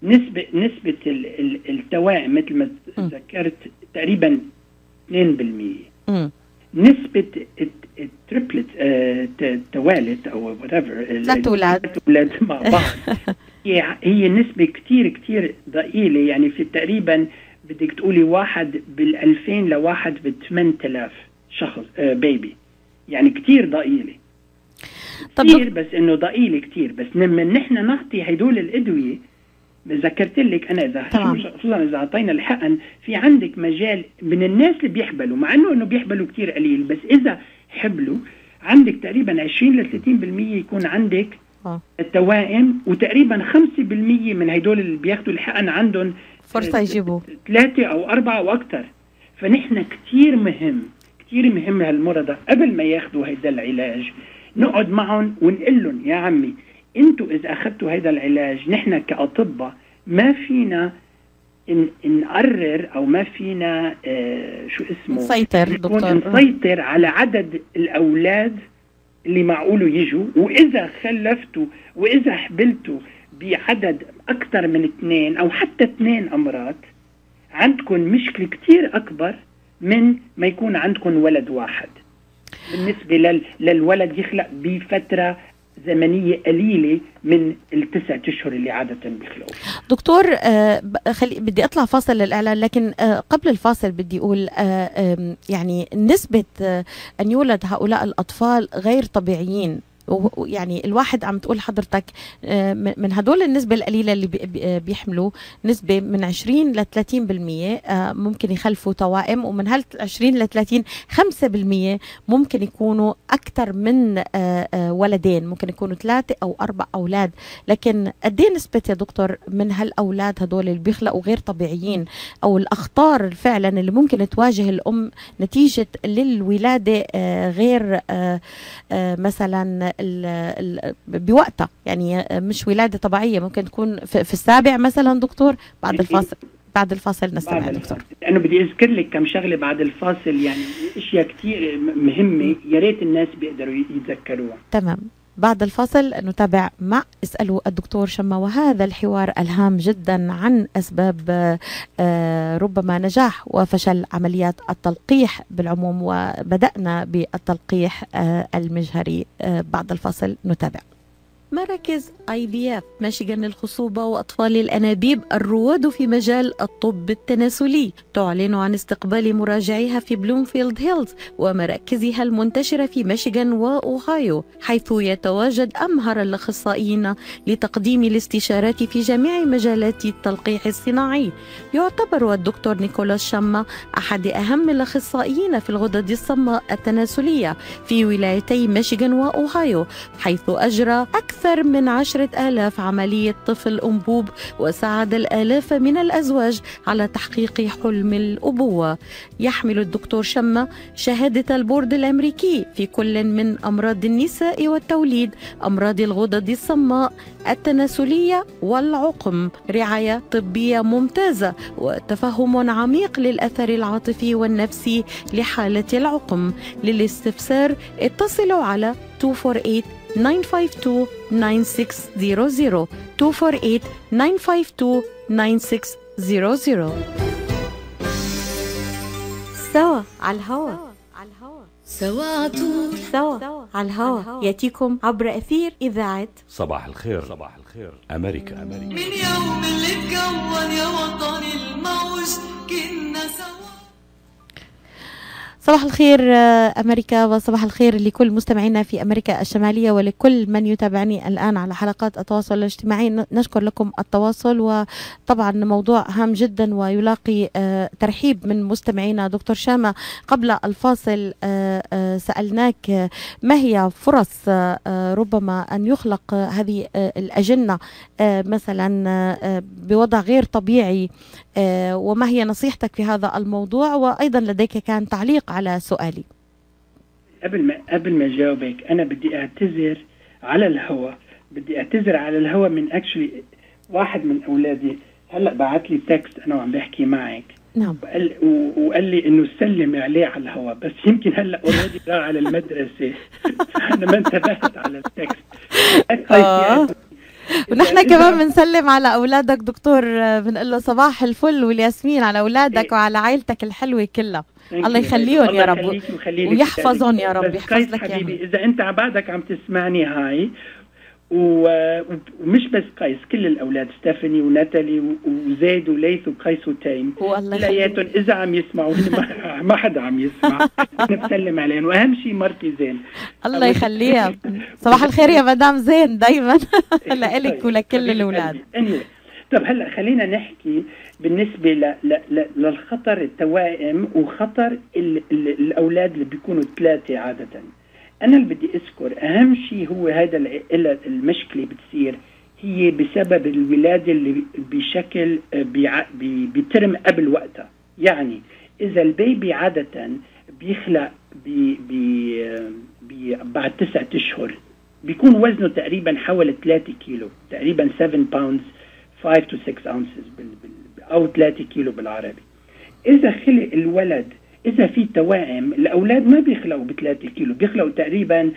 نسبه نسبه التوائم مثل ما ذكرت تقريبا اثنين بالمية. نسبه التريبلت التوالد او whatever ثلاث اولاد اولاد مع بعض هي هي نسبة كتير كتير ضئيلة، يعني في تقريبا بدك تقولي واحد بالألفين لواحد بالثمان آلاف شخص آه بيبي، يعني كتير ضئيلة كتير، بس إنه ضئيلة كتير. بس لما نحن نعطي هيدول الأدوية، ذكرت لك أنا إذا خصوصا إذا أعطينا الحقن، في عندك مجال من الناس اللي بيحبلوا، مع إنه إنه بيحبلوا كتير قليل، بس إذا حبلوا عندك تقريبا عشرين لثلاثين بالمية يكون عندك التوائم، وتقريبا خمسة بالمية من هيدول اللي بياخدوا الحقن عندهم فرصة يجيبوا ثلاثة أو أربعة أو أكثر. فنحن كتير مهم كتير مهم هالمرضى قبل ما ياخدوا هيدا العلاج نقعد معهم ونقول لهم يا عمي انتوا إذا أخذتوا هيدا العلاج، نحن كأطباء ما فينا إن نقرر أو ما فينا آه شو اسمه نسيطر دكتور نسيطر على عدد الأولاد اللي معقوله يجوا. وإذا خلفتوا وإذا حبلتوا بعدد أكثر من اثنين أو حتى اثنين أمراض عندكم مشكلة كتير أكبر من ما يكون عندكم ولد واحد. بالنسبة لل... للولد يخلق بفترة زمنية قليلة من التسعة أشهر اللي عادة بيخلقوا. دكتور آه خلي بدي أطلع فاصل للإعلان، لكن آه قبل الفاصل بدي أقول آه آه يعني نسبة آه أن يولد هؤلاء الأطفال غير طبيعيين، يعني الواحد عم تقول حضرتك من هدول النسبة القليلة اللي بيحملوا نسبة من عشرين لثلاثين بالمية ممكن يخلفوا توائم، ومن هال عشرين لثلاثين خمسة بالمية ممكن يكونوا أكثر من ولدين، ممكن يكونوا ثلاثة أو أربع أولاد. لكن قد ايه نسبة يا دكتور من هالأولاد هدول اللي بيخلقوا غير طبيعيين، أو الأخطار فعلا اللي ممكن تواجه الأم نتيجة للولادة غير مثلا ال ال بوقتها، يعني مش ولادة طبيعية، ممكن تكون في, في السابع مثلا دكتور؟ بعد الفاصل بعد الفاصل نستمع بعد دكتور. أنا بدي أذكر لك كم شغلة بعد الفاصل، يعني أشياء كتير مهمة يا ريت الناس بيقدروا يتذكروها. تمام، بعد الفاصل نتابع مع اسألوا الدكتور شما، وهذا الحوار الهام جدا عن أسباب ربما نجاح وفشل عمليات التلقيح بالعموم، وبدأنا بالتلقيح المجهري. بعد الفاصل نتابع. مراكز آي بي إف ميشيغان للخصوبة وأطفال الأنابيب الرواد في مجال الطب التناسلي تعلن عن استقبال مراجعيها في بلومفيلد هيلز ومراكزها المنتشرة في ميشيغان وأوهايو، حيث يتواجد أمهر الأخصائيين لتقديم الاستشارات في جميع مجالات التلقيح الصناعي. يعتبر الدكتور نيكولاس شما أحد أهم الأخصائيين في الغدد الصماء التناسلية في ولايتي ميشيغان وأوهايو، حيث أجرى أكثر أكثر من عشرة آلاف عملية طفل أنبوب، وساعد الآلاف من الأزواج على تحقيق حلم الأبوة. يحمل الدكتور شما شهادة البورد الأمريكي في كل من أمراض النساء والتوليد، أمراض الغدد الصماء التناسلية والعقم، رعاية طبية ممتازة وتفهم عميق للأثر العاطفي والنفسي لحالة العقم. للاستفسار اتصلوا على اثنين أربعة ثمانية تسعة اثنين تسعة صفر صفر اثنين أربعة ثمانية تسعة اثنين تسعة صفر صفر. سوا على الهوا سوا عطول سوا على الهوا ياتيكم عبر أثير إذاعة صباح الخير. صباح الخير أمريكا. أمريكا. من يوم اللي اتكون يا وطني الموج كنا سوا. صباح الخير أمريكا، وصباح الخير لكل مستمعينا في أمريكا الشمالية ولكل من يتابعني الآن على حلقات التواصل الاجتماعي. نشكر لكم التواصل، وطبعا موضوع هام جدا ويلاقي ترحيب من مستمعينا. دكتور شما، قبل الفاصل سألناك ما هي فرص ربما أن يخلق هذه الأجنة مثلا بوضع غير طبيعي، وما هي نصيحتك في هذا الموضوع؟ وأيضا لديك كان تعليق على سؤالي. قبل ما قبل ما جاوبك أنا بدي أعتذر على الهواء، بدي أعتذر على الهواء من اكشلي واحد من أولادي هلأ بعت لي تكست أنا وعم بحكي معك. نعم. وقال, وقال لي إنه سلم عليه على الهواء، بس يمكن هلأ أوريدي راح على المدرسة أنا ما انتبهت على التكست. آه. ونحن كمان بنسلم على أولادك دكتور، بنقول له صباح الفل والياسمين على أولادك وعلى عائلتك الحلوة كلها. الله يخليهم يا رب ويحفظهم يا رب، يحفظ لك حبيبي. إذا أنت بعدك عم تسمعني هاي، ومش بس قيس، كل الأولاد ستيفاني وناتالي وزيد وليث وقيس وتيم كلياتهم إذا عم يسمعوا، ما حدا عم يسمع نسلم عليهم، وأهم شيء مرتي زين الله يخليها. صباح الخير يا مدام زين دايما لك ولكل الأولاد. طب هلا خلينا نحكي بالنسبة ل ل ل للخطر التوائم وخطر ال ال الأولاد اللي بيكونوا ثلاثة عادة. أنا اللي بدي أذكر أهم شيء هو هذا المشكلة بتصير هي بسبب الولادة اللي بشكل بترم قبل وقتها. يعني إذا البيبي عادة بيخلق بي بي بي بعد تسعة أشهر بيكون وزنه تقريبا حوالي ثلاثة كيلو، تقريبا سبعة باوندز خمسة to ستة ounces أو ثلاثة كيلو بالعربي. إذا خلق الولد، إذا في توائم، الأولاد ما بيخلقوا بثلاثة كيلو، بيخلقوا تقريبا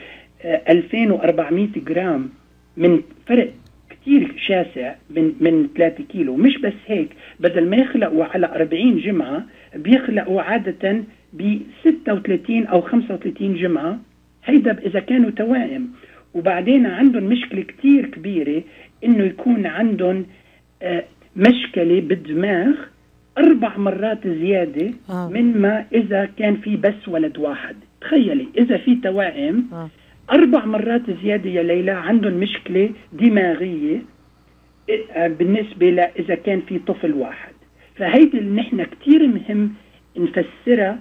ألفين وأربعمائة جرام، من فرق كتير شاسع من من ثلاثة كيلو. مش بس هيك، بدل ما يخلقوا على أربعين جمعة بيخلقوا عادة ب ستة وثلاثين أو خمسة وثلاثين جمعة، هيدا إذا كانوا توائم. وبعدين عندهم مشكلة كتير كبيرة، إنه يكون عندهم آه مشكلة بالدماغ أربع مرات زيادة آه. من ما إذا كان في بس ولد واحد. تخيلي إذا في توائم آه. أربع مرات زيادة يا ليلى عندهم مشكلة دماغية بالنسبة لإذا كان في طفل واحد. فهيدي اللي نحن كتير مهم نفسرها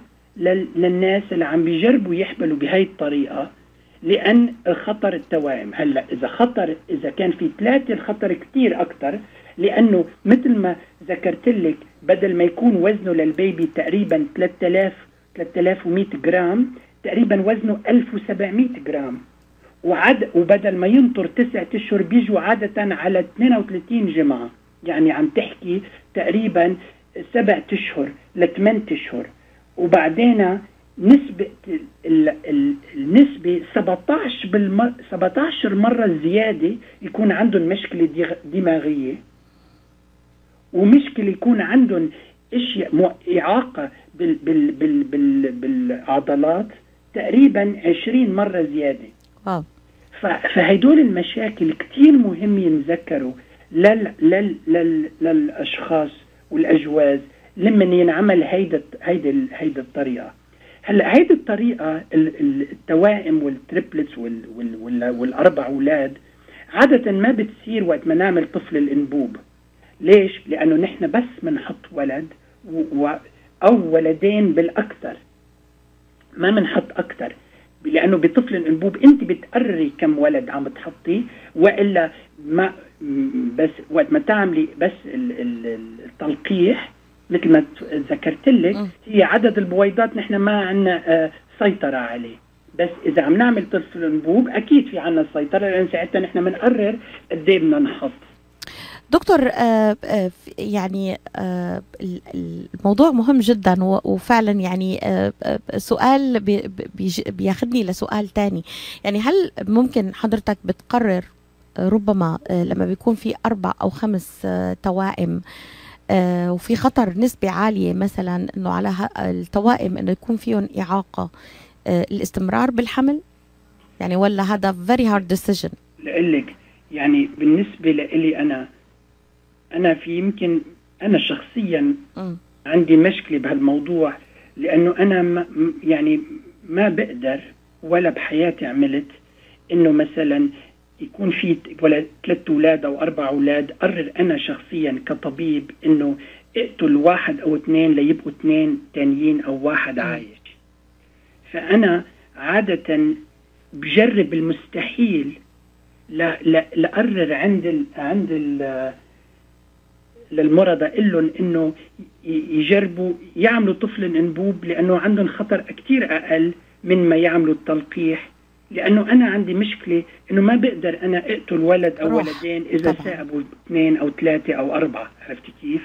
للناس اللي عم بيجربوا يحملوا بهاي الطريقة، لأن الخطر التوائم. هلأ إذا خطر إذا كان في ثلاثة الخطر كتير أكتر، لأنه مثل ما ذكرت لك بدل ما يكون وزنه للبيبي تقريبا ثلاثة آلاف ومئة جرام، تقريبا وزنه ألف وسبعمائة جرام، وعد وبدل ما ينطر تسعة اشهر بيجوا عادة على اثنين وثلاثين جمعة، يعني عم تحكي تقريبا سبعة اشهر لثمان اشهر. وبعدين نسبة النسبة سبعة عشر مرة زيادة يكون عندهم مشكلة دماغية، ومشكلة يكون عندهم اشياء إعاقة بال بال بال بال بالعضلات تقريبا عشرين مرة زيادة. آه. فهيدول المشاكل كتير مهم ينذكروا لل لل لل للأشخاص والأجواز لما ينعمل هيدا هيدا هيدا الطريقة. هلا هيدي الطريقة التوائم والتريبلتس وال وال والأربع أولاد عادة ما بتصير وقت ما نعمل طفل الأنبوب. ليش؟ لأنه نحن بس منحط ولد و أو ولدين بالأكثر، ما منحط أكثر، لأنه بطفل الأنبوب أنت بتقرري كم ولد عم تحطي، وإلا ما بس وقت ما تعملي بس التلقيح مثل ما ذكرت لك هي عدد البويضات نحن ما عنا سيطرة عليه. بس إذا عم نعمل طفل الأنبوب أكيد في عنا السيطرة، لأن ساعتها نحن بنقرر قد إيه بدنا نحط. دكتور آه آه يعني آه الموضوع مهم جدا، وفعلا يعني آه سؤال بياخدني لسؤال تاني. يعني هل ممكن حضرتك بتقرر ربما لما بيكون في أربع أو خمس توائم آه وفي خطر نسبة عالية مثلا انه على التوائم انه يكون فيهم إعاقة آه الاستمرار بالحمل، يعني ولا هذا very hard decision؟ لقلك يعني بالنسبة لي أنا أنا في يمكن أنا شخصيا م. عندي مشكلة بهالموضوع، لأنه أنا ما يعني ما بقدر ولا بحياتي عملت إنه مثلا يكون في ولا ثلاث أولاد أو أربع أولاد قرر أنا شخصيا كطبيب إنه اقتل واحد أو اثنين ليبقوا اثنين تانيين أو واحد عايش. فأنا عادة بجرب المستحيل لأقرر عند ال عند ال للمرضى إلهم إنه يجربوا يعملوا طفل انبوب، لأنه عندهم خطر كتير أقل من ما يعملوا التلقيح. لأنه أنا عندي مشكلة إنه ما بقدر أنا أقتل ولد أو ولدين إذا ثاقبوا اثنين أو ثلاثة أو أربعة. عرفت كيف؟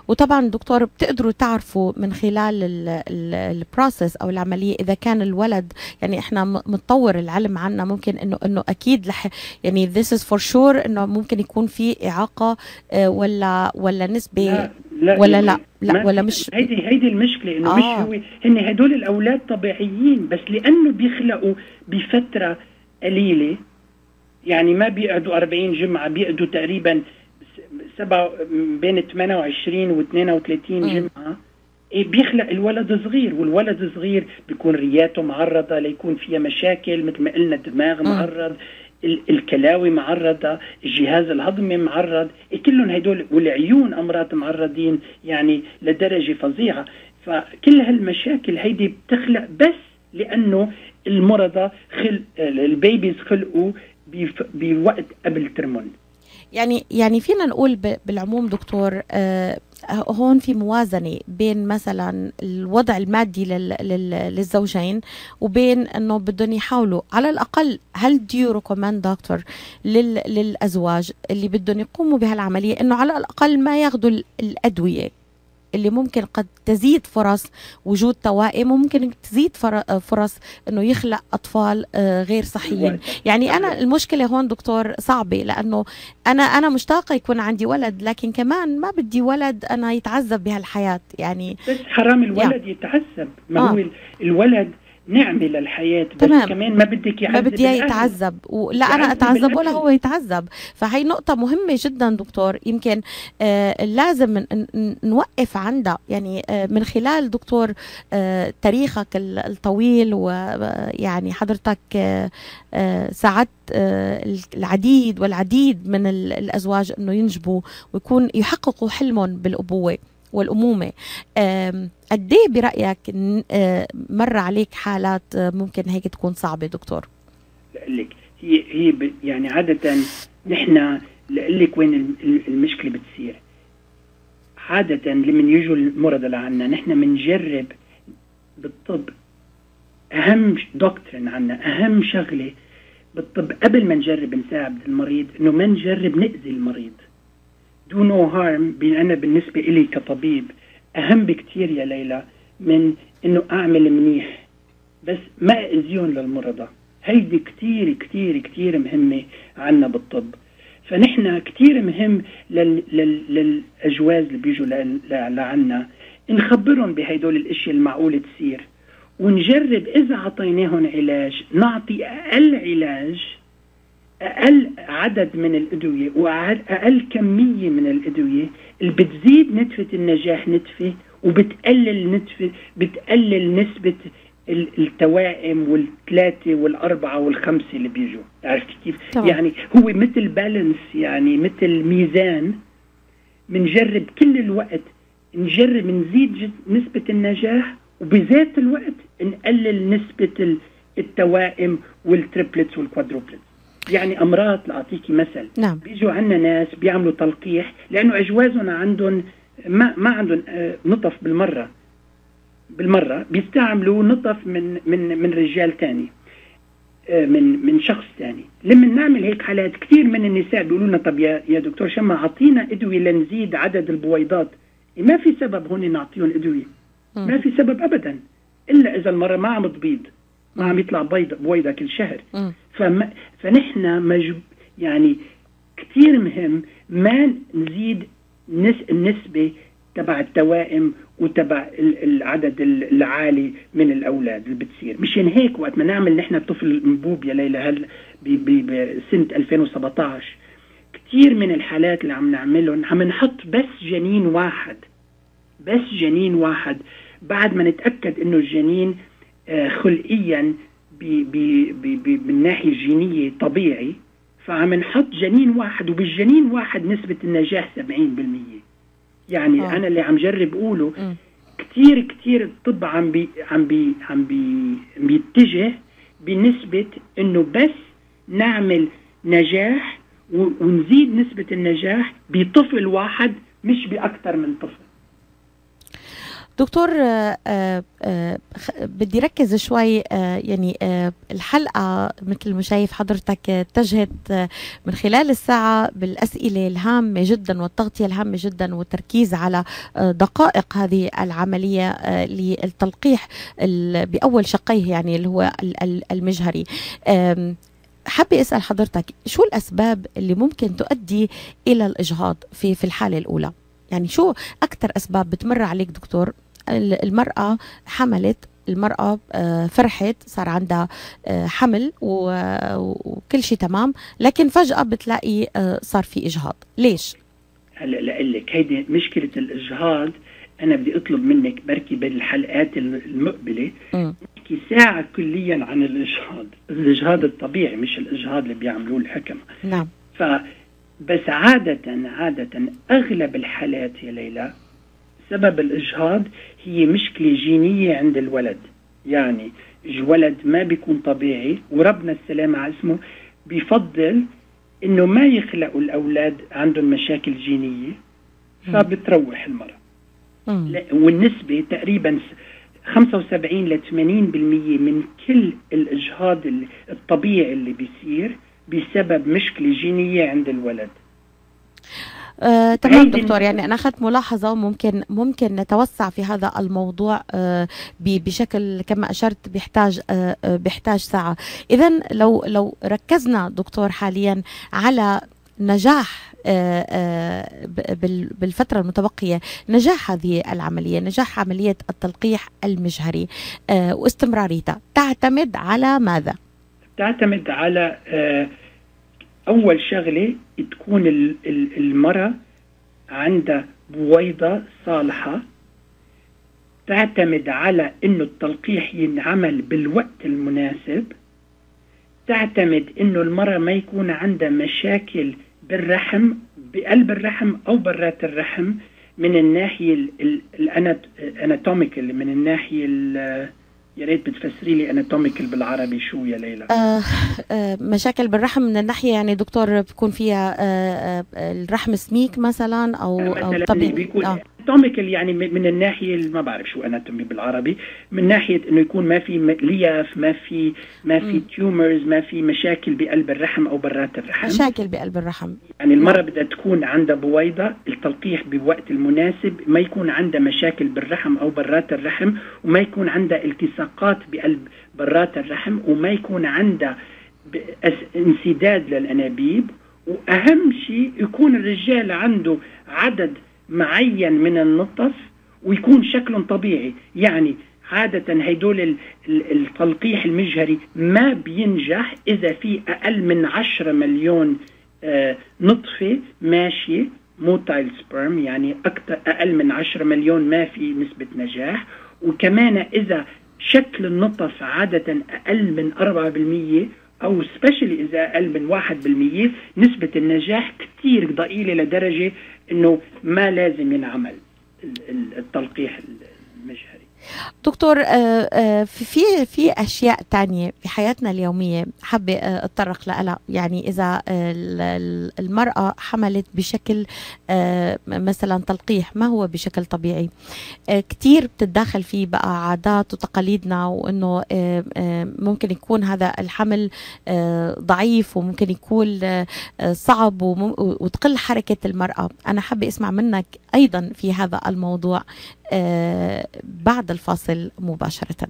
وطبعا دكتور بتقدروا تعرفوا من خلال البروسيس او العمليه اذا كان الولد، يعني احنا متطور العلم عنا، ممكن انه انه اكيد لح يعني this is for sure انه ممكن يكون في اعاقه ولا ولا نسبه لا لا ولا لا لا ولا مش هيدي هيدي المشكله انه آه. مش هو هن هدول الاولاد طبيعيين، بس لانه بيخلقوا بفتره قليله، يعني ما بيقعدوا أربعين جمعه، بيقعدوا تقريبا سبعة بين ثمانية وعشرين و اثنين وثلاثين جمعة. إيه بيخلق الولد صغير، والولد صغير بيكون رياته معرضة ليكون فيها مشاكل، مثل ما قلنا الدماغ معرض، الكلاوي معرضة، الجهاز الهضمي معرض، إيه كلهم هدول، والعيون أمراض معرضين يعني لدرجة فظيعة. فكل هالمشاكل هيدي بتخلق بس لأنه المرضى خلق البيبيز خلقوا بوقت قبل ترمون. يعني يعني فينا نقول بالعموم دكتور آه هون في موازنة بين مثلا الوضع المادي لل لل للزوجين وبين انه بدهم يحاولوا على الاقل. هل do you recommend دكتور لل للازواج اللي بدهم يقوموا بهالعملية انه على الاقل ما ياخذوا الادوية اللي ممكن قد تزيد فرص وجود توائم وممكن تزيد فرص انه يخلق اطفال غير صحيين؟ يعني انا المشكله هون دكتور صعبه، لانه انا انا مشتاقه يكون عندي ولد، لكن كمان ما بدي ولد انا يتعذب بهالحياه. يعني بس حرام الولد يعني يتعذب، ما آه. هو الولد نعمة للحياة، بس تمام. كمان ما بدك يعذب، ما بدي يتعذب ولا أنا أتعذب ولا هو يتعذب. فهي نقطة مهمة جدا دكتور، يمكن آه لازم نوقف عندها. يعني آه من خلال دكتور آه تاريخك الطويل، ويعني حضرتك آه آه ساعدت آه العديد والعديد من الأزواج أنه ينجبوا ويكون يحققوا حلمهم بالأبوة والأمومة. قد ايه برأيك مر عليك حالات ممكن هيك تكون صعبة دكتور؟ لك هي هي يعني عادة نحن لك وين المشكلة بتصير. عادة لمن يجوا المرضى لعنا نحن بنجرب بالطب، أهم دكتورين عنا، أهم شغلة بالطب قبل ما نجرب نساعد المريض إنه ما نجرب نأذي المريض. do no harm. أنا بالنسبة إلي كطبيب أهم بكتير يا ليلى من إنه أعمل منيح بس ما أذيون للمرضى. هيدي كتير كتير كتير مهمة عنا بالطب. فنحن كتير مهم لل... لل... للأجواز اللي بيجوا ل... لعنا نخبرهم بهيدول الاشياء المعقولة تصير، ونجرب إذا عطيناهم علاج نعطي أقل علاج، أقل عدد من الأدوية وأقل كمية من الأدوية اللي بتزيد نسبة النجاح نتفة وبتقلل نسبة بتقلل نسبة التوائم والثلاثة والأربعة والخمسة اللي بيجوا. عرفت كيف؟ طبعا. يعني هو مثل بالانس، يعني مثل ميزان. منجرب كل الوقت نجرب نزيد نسبة النجاح وبذات الوقت نقلل نسبة التوائم والتريبلتس والكوادروبلتس. يعني أمراض، لأعطيكي مثل، نعم. بيجوا عنا ناس بيعملوا تلقيح لأنه أجوازهم عندهم ما ما عندهم نطف بالمرة بالمرة بيستعملوا نطف من من من رجال تاني، من من شخص تاني. لما نعمل هيك حالات كثير من النساء بيقولوا لنا طب يا يا دكتور شما أعطينا أدوية لنزيد عدد البويضات. ما في سبب هون نعطيهم أدوية، ما في سبب أبدا، إلا إذا المرة ما عم تبيض، ما عم يطلع بيض بويضة كل شهر. فما فنحن مجب يعني كثير مهم ما نزيد نس النسبة تبع التوائم وتبع العدد العالي من الأولاد اللي بتصير. مشان هيك وقت ما نعمل نحن طفل انبوب يا ليلى هل بسنة ألفين وسبعطعش كثير من الحالات اللي عم نعملهم عم نحط بس جنين واحد، بس جنين واحد بعد ما نتأكد إنه الجنين خلقيا بي بي بي بي من ناحية جينية طبيعي. فعم نحط جنين واحد، وبالجنين واحد نسبة النجاح سبعين بالمية. يعني أوه. أنا اللي عم جرب أقوله م. كتير كتير الطب عم بي عم بي عم بي بيتجه بنسبة إنه بس نعمل نجاح ونزيد نسبة النجاح بطفل واحد مش بأكثر من طفل. دكتور آآ آآ بدي ركز شوي يعني الحلقة مثل ما شايف حضرتك اتجهت من خلال الساعة بالأسئلة الهامة جدا والتغطية الهامة جدا والتركيز على دقائق هذه العملية للتلقيح بأول شقيه يعني اللي هو المجهري. حابة أسأل حضرتك شو الأسباب اللي ممكن تؤدي إلى الإجهاض في في الحالة الأولى؟ يعني شو أكتر أسباب بتمر عليك دكتور؟ المرأة حملت، المرأة فرحت، صار عندها حمل وكل شيء تمام، لكن فجأة بتلاقي صار في إجهاض. ليش؟ هلا لأقلك هيدي مشكلة الإجهاض. أنا بدي أطلب منك بركي بالحلقات المقبلة نحكي ساعة كليا عن الإجهاض، الإجهاض الطبيعي مش الإجهاض اللي بيعملوه الحكمة. نعم. فبس عادة عادة أغلب الحالات يا ليلى سبب الإجهاض هي مشكلة جينية عند الولد. يعني الولد ما بيكون طبيعي وربنا السلام على اسمه بيفضل إنه ما يخلقوا الأولاد عندهم مشاكل جينية، فبتروح المرأة. والنسبة تقريبا خمسة وسبعين ل ثمانين بالمية من كل الإجهاض الطبيعي اللي بيصير بسبب مشكلة جينية عند الولد. آه، تمام دكتور، يعني أنا أخذت ملاحظة وممكن ممكن نتوسع في هذا الموضوع آه بشكل كما أشرت بيحتاج آه بيحتاج ساعة. إذن لو لو ركزنا دكتور حاليا على نجاح آه آه بالفترة المتبقية، نجاح هذه العملية، نجاح عملية التلقيح المجهري آه واستمراريتها، تعتمد على ماذا؟ تعتمد على آه أول شغلة تكون المرأة عندها بويضة صالحة، تعتمد على إنه التلقيح ينعمل بالوقت المناسب، تعتمد إنه المرأة ما يكون عندها مشاكل بالرحم، بقلب الرحم أو برات الرحم، من الناحية الاناتوميكال، من الناحية يا ريت بتفسري لي اناتوميكال بالعربي شو يا ليلى؟ آه آه مشاكل بالرحم من الناحيه يعني دكتور بيكون فيها آه آه الرحم سميك مثلا او او طبيعي بيكون آه. اناتوميكال يعني من الناحيه ما بعرف شو اناتومي بالعربي، من ناحيه انه يكون ما في لياف، ما في ما في تيومرز، ما في مشاكل بقلب الرحم او برات الرحم. مشاكل بقلب الرحم يعني المرأة بدها تكون عندها بويضة، التلقيح بوقت المناسب، ما يكون عندها مشاكل بالرحم او برات الرحم، وما يكون عندها التصاقات بقلب برات الرحم، وما يكون عندها انسداد للانابيب، واهم شيء يكون الرجال عنده عدد معين من النطف ويكون شكلهم طبيعي. يعني عادة هيدول التلقيح المجهري ما بينجح إذا في أقل من عشرة مليون آه نطفة ماشية موتايل سبرم، يعني أكتر أقل من عشرة مليون ما في نسبة نجاح. وكمان إذا شكل النطف عادة أقل من أربعة بالمية أو سبيشلي إذا أقل من واحد بالمية، نسبة النجاح كتير ضئيلة لدرجة إنه ما لازم ينعمل التلقيح المجهري. دكتور في في اشياء تانية في حياتنا اليوميه حابه اتطرق لها، يعني اذا المراه حملت بشكل مثلا تلقيح ما هو بشكل طبيعي، كتير بتتداخل فيه بقى عادات وتقاليدنا، وانه ممكن يكون هذا الحمل ضعيف وممكن يكون صعب وتقل حركه المراه. انا حابه اسمع منك ايضا في هذا الموضوع بعد الفاصل مباشرة.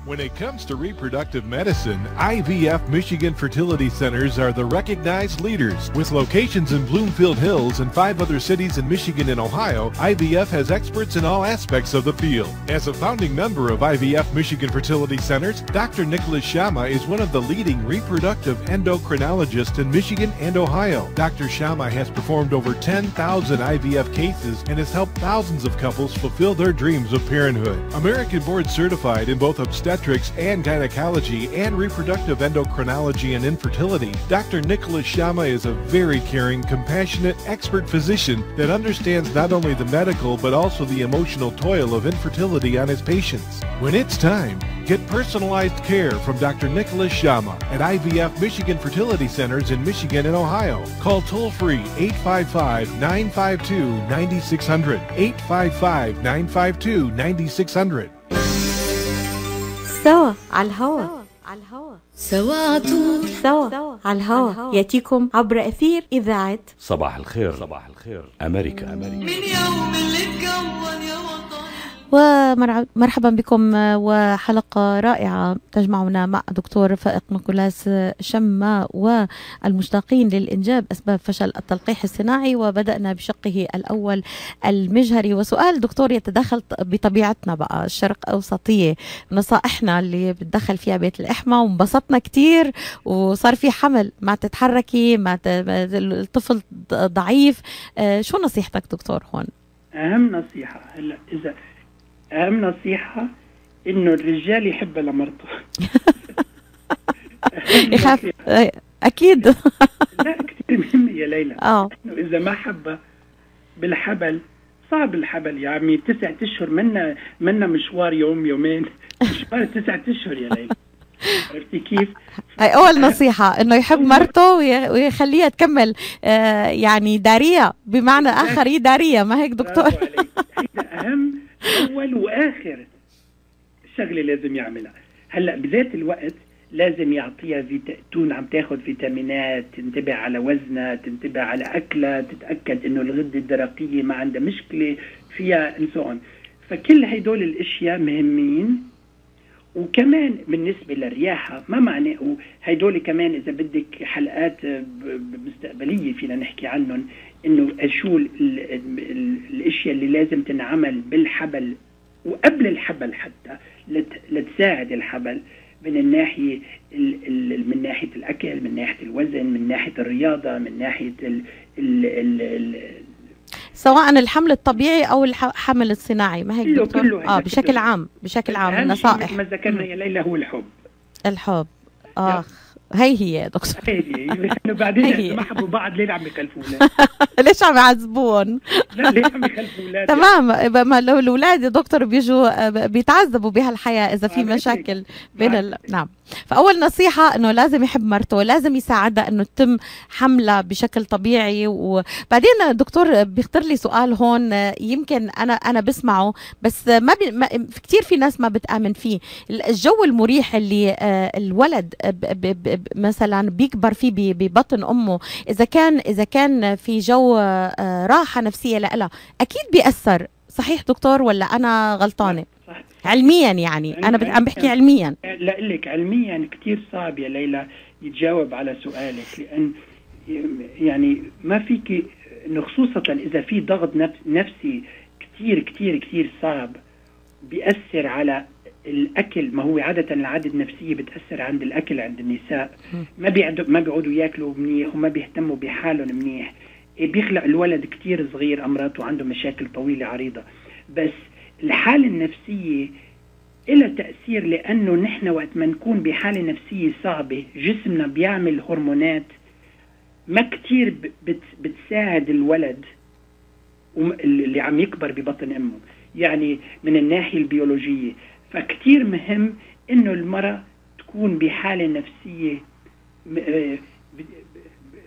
When it comes to reproductive medicine, I V F Michigan Fertility Centers are the recognized leaders. With locations in Bloomfield Hills and five other cities in Michigan and Ohio, I V F has experts in all aspects of the field. As a founding member of I V F Michigan Fertility Centers, Doctor Nicholas Shama is one of the leading reproductive endocrinologists in Michigan and Ohio. Doctor Shama has performed over ten thousand I V F cases and has helped thousands of couples fulfill their dreams of parenthood. American board certified in both obstetrics and gynecology and reproductive endocrinology and infertility, Doctor Nicholas Shama is a very caring, compassionate, expert physician that understands not only the medical but also the emotional toil of infertility on his patients. When it's time, get personalized care from Doctor Nicholas Shama at I V F Michigan Fertility Centers in Michigan and Ohio. Call toll-free eight five five, nine five two, nine six zero zero, eight five five, nine five two, nine six zero zero. سوا على الهوا على الهوا سوا عطول سوا على الهوا ياتيكم عبر أثير إذاعة صباح الخير. صباح الخير أمريكا. أمريكا. من يوم اللي اتكون يا وطن. ومرحبا بكم وحلقة رائعة تجمعنا مع دكتور فائق نيكولاس شما والمشتاقين للإنجاب أسباب فشل التلقيح الصناعي، وبدأنا بشقه الأول المجهري. وسؤال دكتور يتدخل بطبيعتنا بقى الشرق أوسطية، نصائحنا اللي بتدخل فيها بيت الإحمى وانبسطنا كتير وصار في حمل، ما تتحركي، ما الطفل ضعيف، شو نصيحتك دكتور هون؟ أهم نصيحة هلا إذا أهم نصيحة إنه الرجال يحب لمرته. يخاف أكيد. لا كتير مهم يا ليلى. آه. إنه إذا ما حبه بالحبل صعب الحبل يا عمي، تسعة أشهر منا منا مشوار يوم يومين، مشوار تسعة أشهر يا ليلى. عرفتي كيف؟ هاي أول نصيحة، إنه يحب مرته ويخليها تكمل آه يعني دارية، بمعنى آخر هي دارية، ما هيك دكتور؟ هيدا أهم أول وآخر شغلة لازم يعملها. هلأ بذات الوقت لازم يعطيها فيتا... تكون عم تاخد فيتامينات، تنتبه على وزنها، تنتبه على أكلها، تتأكد إنه الغدة الدرقية ما عندها مشكلة فيها انسون. فكل هيدول الاشياء مهمين. وكمان بالنسبه للرياحه ما معناه هيدول كمان اذا بدك حلقات مستقبليه فينا نحكي عنهم، انه شو ال ال ال الاشياء اللي لازم تنعمل بالحبل وقبل الحبل حتى لت لتساعد الحبل من الناحيه ال ال من ناحيه الاكل، من ناحيه الوزن، من ناحيه الرياضه، من ناحيه ال ال ال ال سواء الحمل الطبيعي او الحمل الصناعي، ما هيك دكتور؟ كله اه بشكل كله. عام بشكل عام النصائح ما ذكرنا يا ليلى هو الحب. الحب اخ هي هي يا دكتور. هي هي بعدين هي. ما حبوا بعض ليه عم يخلفونا؟ ليش عم يعذبون؟ لا ليه عم يخلفوا اولاد؟ تمام، ما لو الاولاد يا دكتور بيجوا بيتعذبوا بهالحياه اذا في مشاكل بين ال... نعم. فاول نصيحه انه لازم يحب مرته، لازم يساعدها انه تتم حملها بشكل طبيعي. وبعدين دكتور بيخطر لي سؤال هون، يمكن انا انا بسمعه بس ما, بي... ما في كثير في ناس ما بتآمن فيه. الجو المريح اللي الولد ب... ب... مثلا بيكبر فيه ببطن امه، اذا كان اذا كان في جو راحه نفسيه لها اكيد بيأثر. صحيح دكتور ولا انا غلطانه؟ صح. علميا يعني انا عم بحكي علميا. لا لك علميا كثير صعب يا ليلى يتجاوب على سؤالك، لان يعني ما فيك انه خصوصا اذا في ضغط نفسي كثير كثير كثير صعب بيأثر على الاكل. ما هو عاده العاده النفسيه بتاثر عند الاكل عند النساء، ما بيقعدوا ما بيقعدوا ياكلوا منيح وما بيهتموا بحالهم منيح، بيخلق الولد كتير صغير امراض وعنده مشاكل طويله عريضه. بس الحاله النفسيه لها تاثير، لانه نحن وقت ما نكون بحاله نفسيه صعبه جسمنا بيعمل هرمونات ما كتير بت بتساعد الولد اللي عم يكبر ببطن امه، يعني من الناحيه البيولوجيه. فكتير مهم انه المرأة تكون بحالة نفسية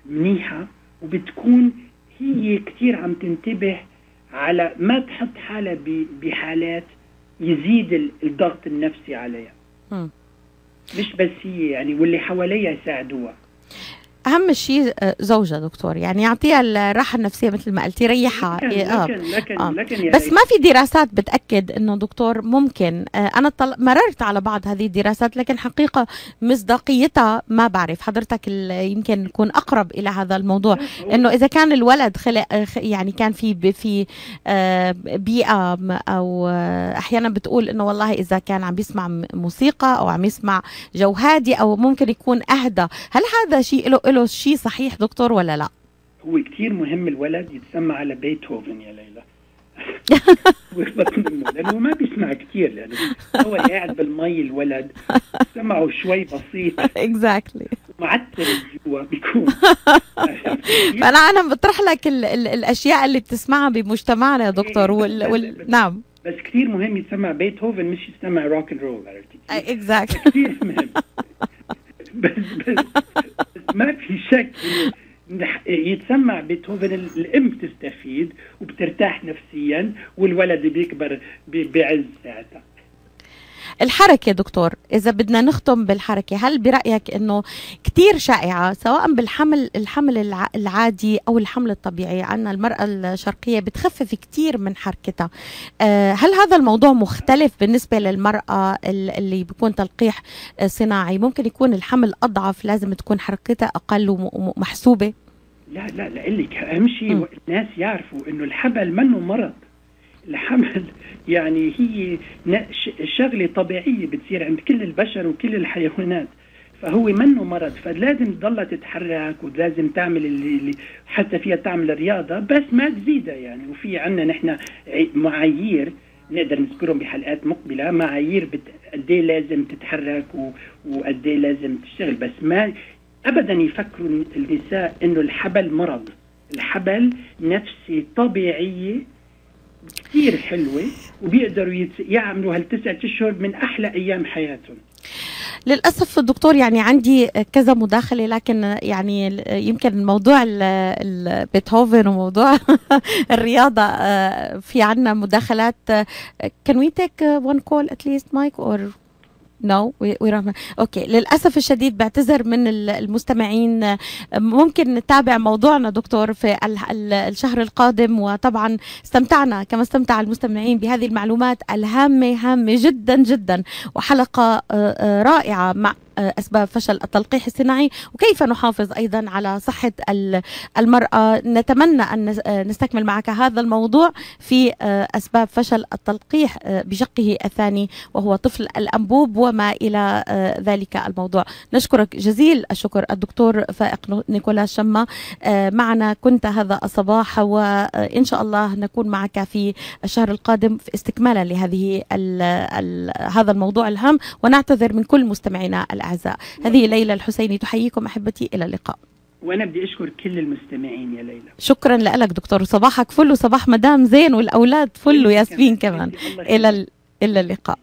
منيحة، وبتكون هي كتير عم تنتبه على ما تحط حالها بحالات يزيد الضغط النفسي عليها. م. مش بس هي يعني، واللي حواليها يساعدوها. اهم شيء زوجها دكتور، يعني يعطيها الراحه النفسيه مثل ما قلتي، ريحها. لكن آه. لكن لكن, آه. لكن بس ما في دراسات بتاكد انه دكتور ممكن آه انا طل... مررت على بعض هذه الدراسات، لكن حقيقه مصداقيتها ما بعرف. حضرتك يمكن نكون اقرب الى هذا الموضوع، انه اذا كان الولد خلق يعني كان في في آه بيئه او آه احيانا بتقول انه والله اذا كان عم بيسمع موسيقى او عم يسمع جو هادي او ممكن يكون اهدى. هل هذا شيء له له شيء صحيح دكتور ولا لا؟ هو كتير مهم الولد يتسمع على بيتهوفن يا ليلى. لانه ما بيسمع كتير، لانه هو قاعد بالمي الولد سمعه شوي بسيط اكزاكتلي معتل جوا بيكون. فانا انا بطرح لك ال ال الاشياء اللي بتسمعها بمجتمعنا يا دكتور. وال وال نعم بس كتير مهم يتسمع بيتهوفن مش يسمع روك اند رول. عرفتي اكزاكتلي كتير مهم. بس بس ما في شك يتسمع بيتهوفن الام تستفيد وبترتاح نفسيا، والولد بيكبر بعز ساعتها. الحركة دكتور، إذا بدنا نختم بالحركة، هل برأيك إنه كتير شائعة سواء بالحمل الحمل العادي أو الحمل الطبيعي، عنا المرأة الشرقية بتخفف كتير من حركتها، هل هذا الموضوع مختلف بالنسبة للمرأة اللي بيكون تلقيح صناعي؟ ممكن يكون الحمل أضعف، لازم تكون حركتها أقل ومحسوبة؟ لا لا لا لك أهم شيء الناس يعرفوا إنه الحمل منه مرض. الحمل يعني هي شغلة طبيعية بتصير عند كل البشر وكل الحيوانات، فهو منه مرض. فلازم تضلها تتحرك ولازم تعمل اللي حتى فيها تعمل رياضة، بس ما تزيدها يعني. وفي عنا نحن معايير نقدر نذكرهم بحلقات مقبلة، معايير قد ايه لازم تتحرك وقد ايه لازم تشتغل. بس ما ابدا يفكروا النساء انه الحبل مرض. الحبل نفسي طبيعية كثير حلوة، وبيقدروا يعملوا هالتسعة اشهر من احلى ايام حياتهم. للأسف دكتور يعني عندي كذا مداخلة، لكن يعني يمكن موضوع بيتهوفن وموضوع الرياضة في عنا مداخلات. Can we take one call at least, Mike, or no? we we اوكي. للأسف الشديد بعتذر من المستمعين. ممكن نتابع موضوعنا دكتور في الشهر القادم، وطبعا استمتعنا كما استمتع المستمعين بهذه المعلومات الهامة هامة جدا جدا، وحلقة رائعة مع أسباب فشل التلقيح الصناعي وكيف نحافظ أيضا على صحة المرأة. نتمنى أن نستكمل معك هذا الموضوع في أسباب فشل التلقيح بشقه الثاني وهو طفل الأنبوب وما إلى ذلك الموضوع. نشكرك جزيل الشكر الدكتور فائق نيكولاس شما. معنا كنت هذا الصباح، وإن شاء الله نكون معك في الشهر القادم في استكمالا لهذه ال ال هذا الموضوع الهام، ونعتذر من كل مستمعينا الأعزاء. هذه ليلى الحسيني تحييكم أحبتي، إلى اللقاء. وأنا بدي أشكر كل المستمعين يا ليلى. شكرا لك دكتور، صباحك فل وصباح مدام زين والأولاد فل وياسمين كمان. إلى إلى اللقاء.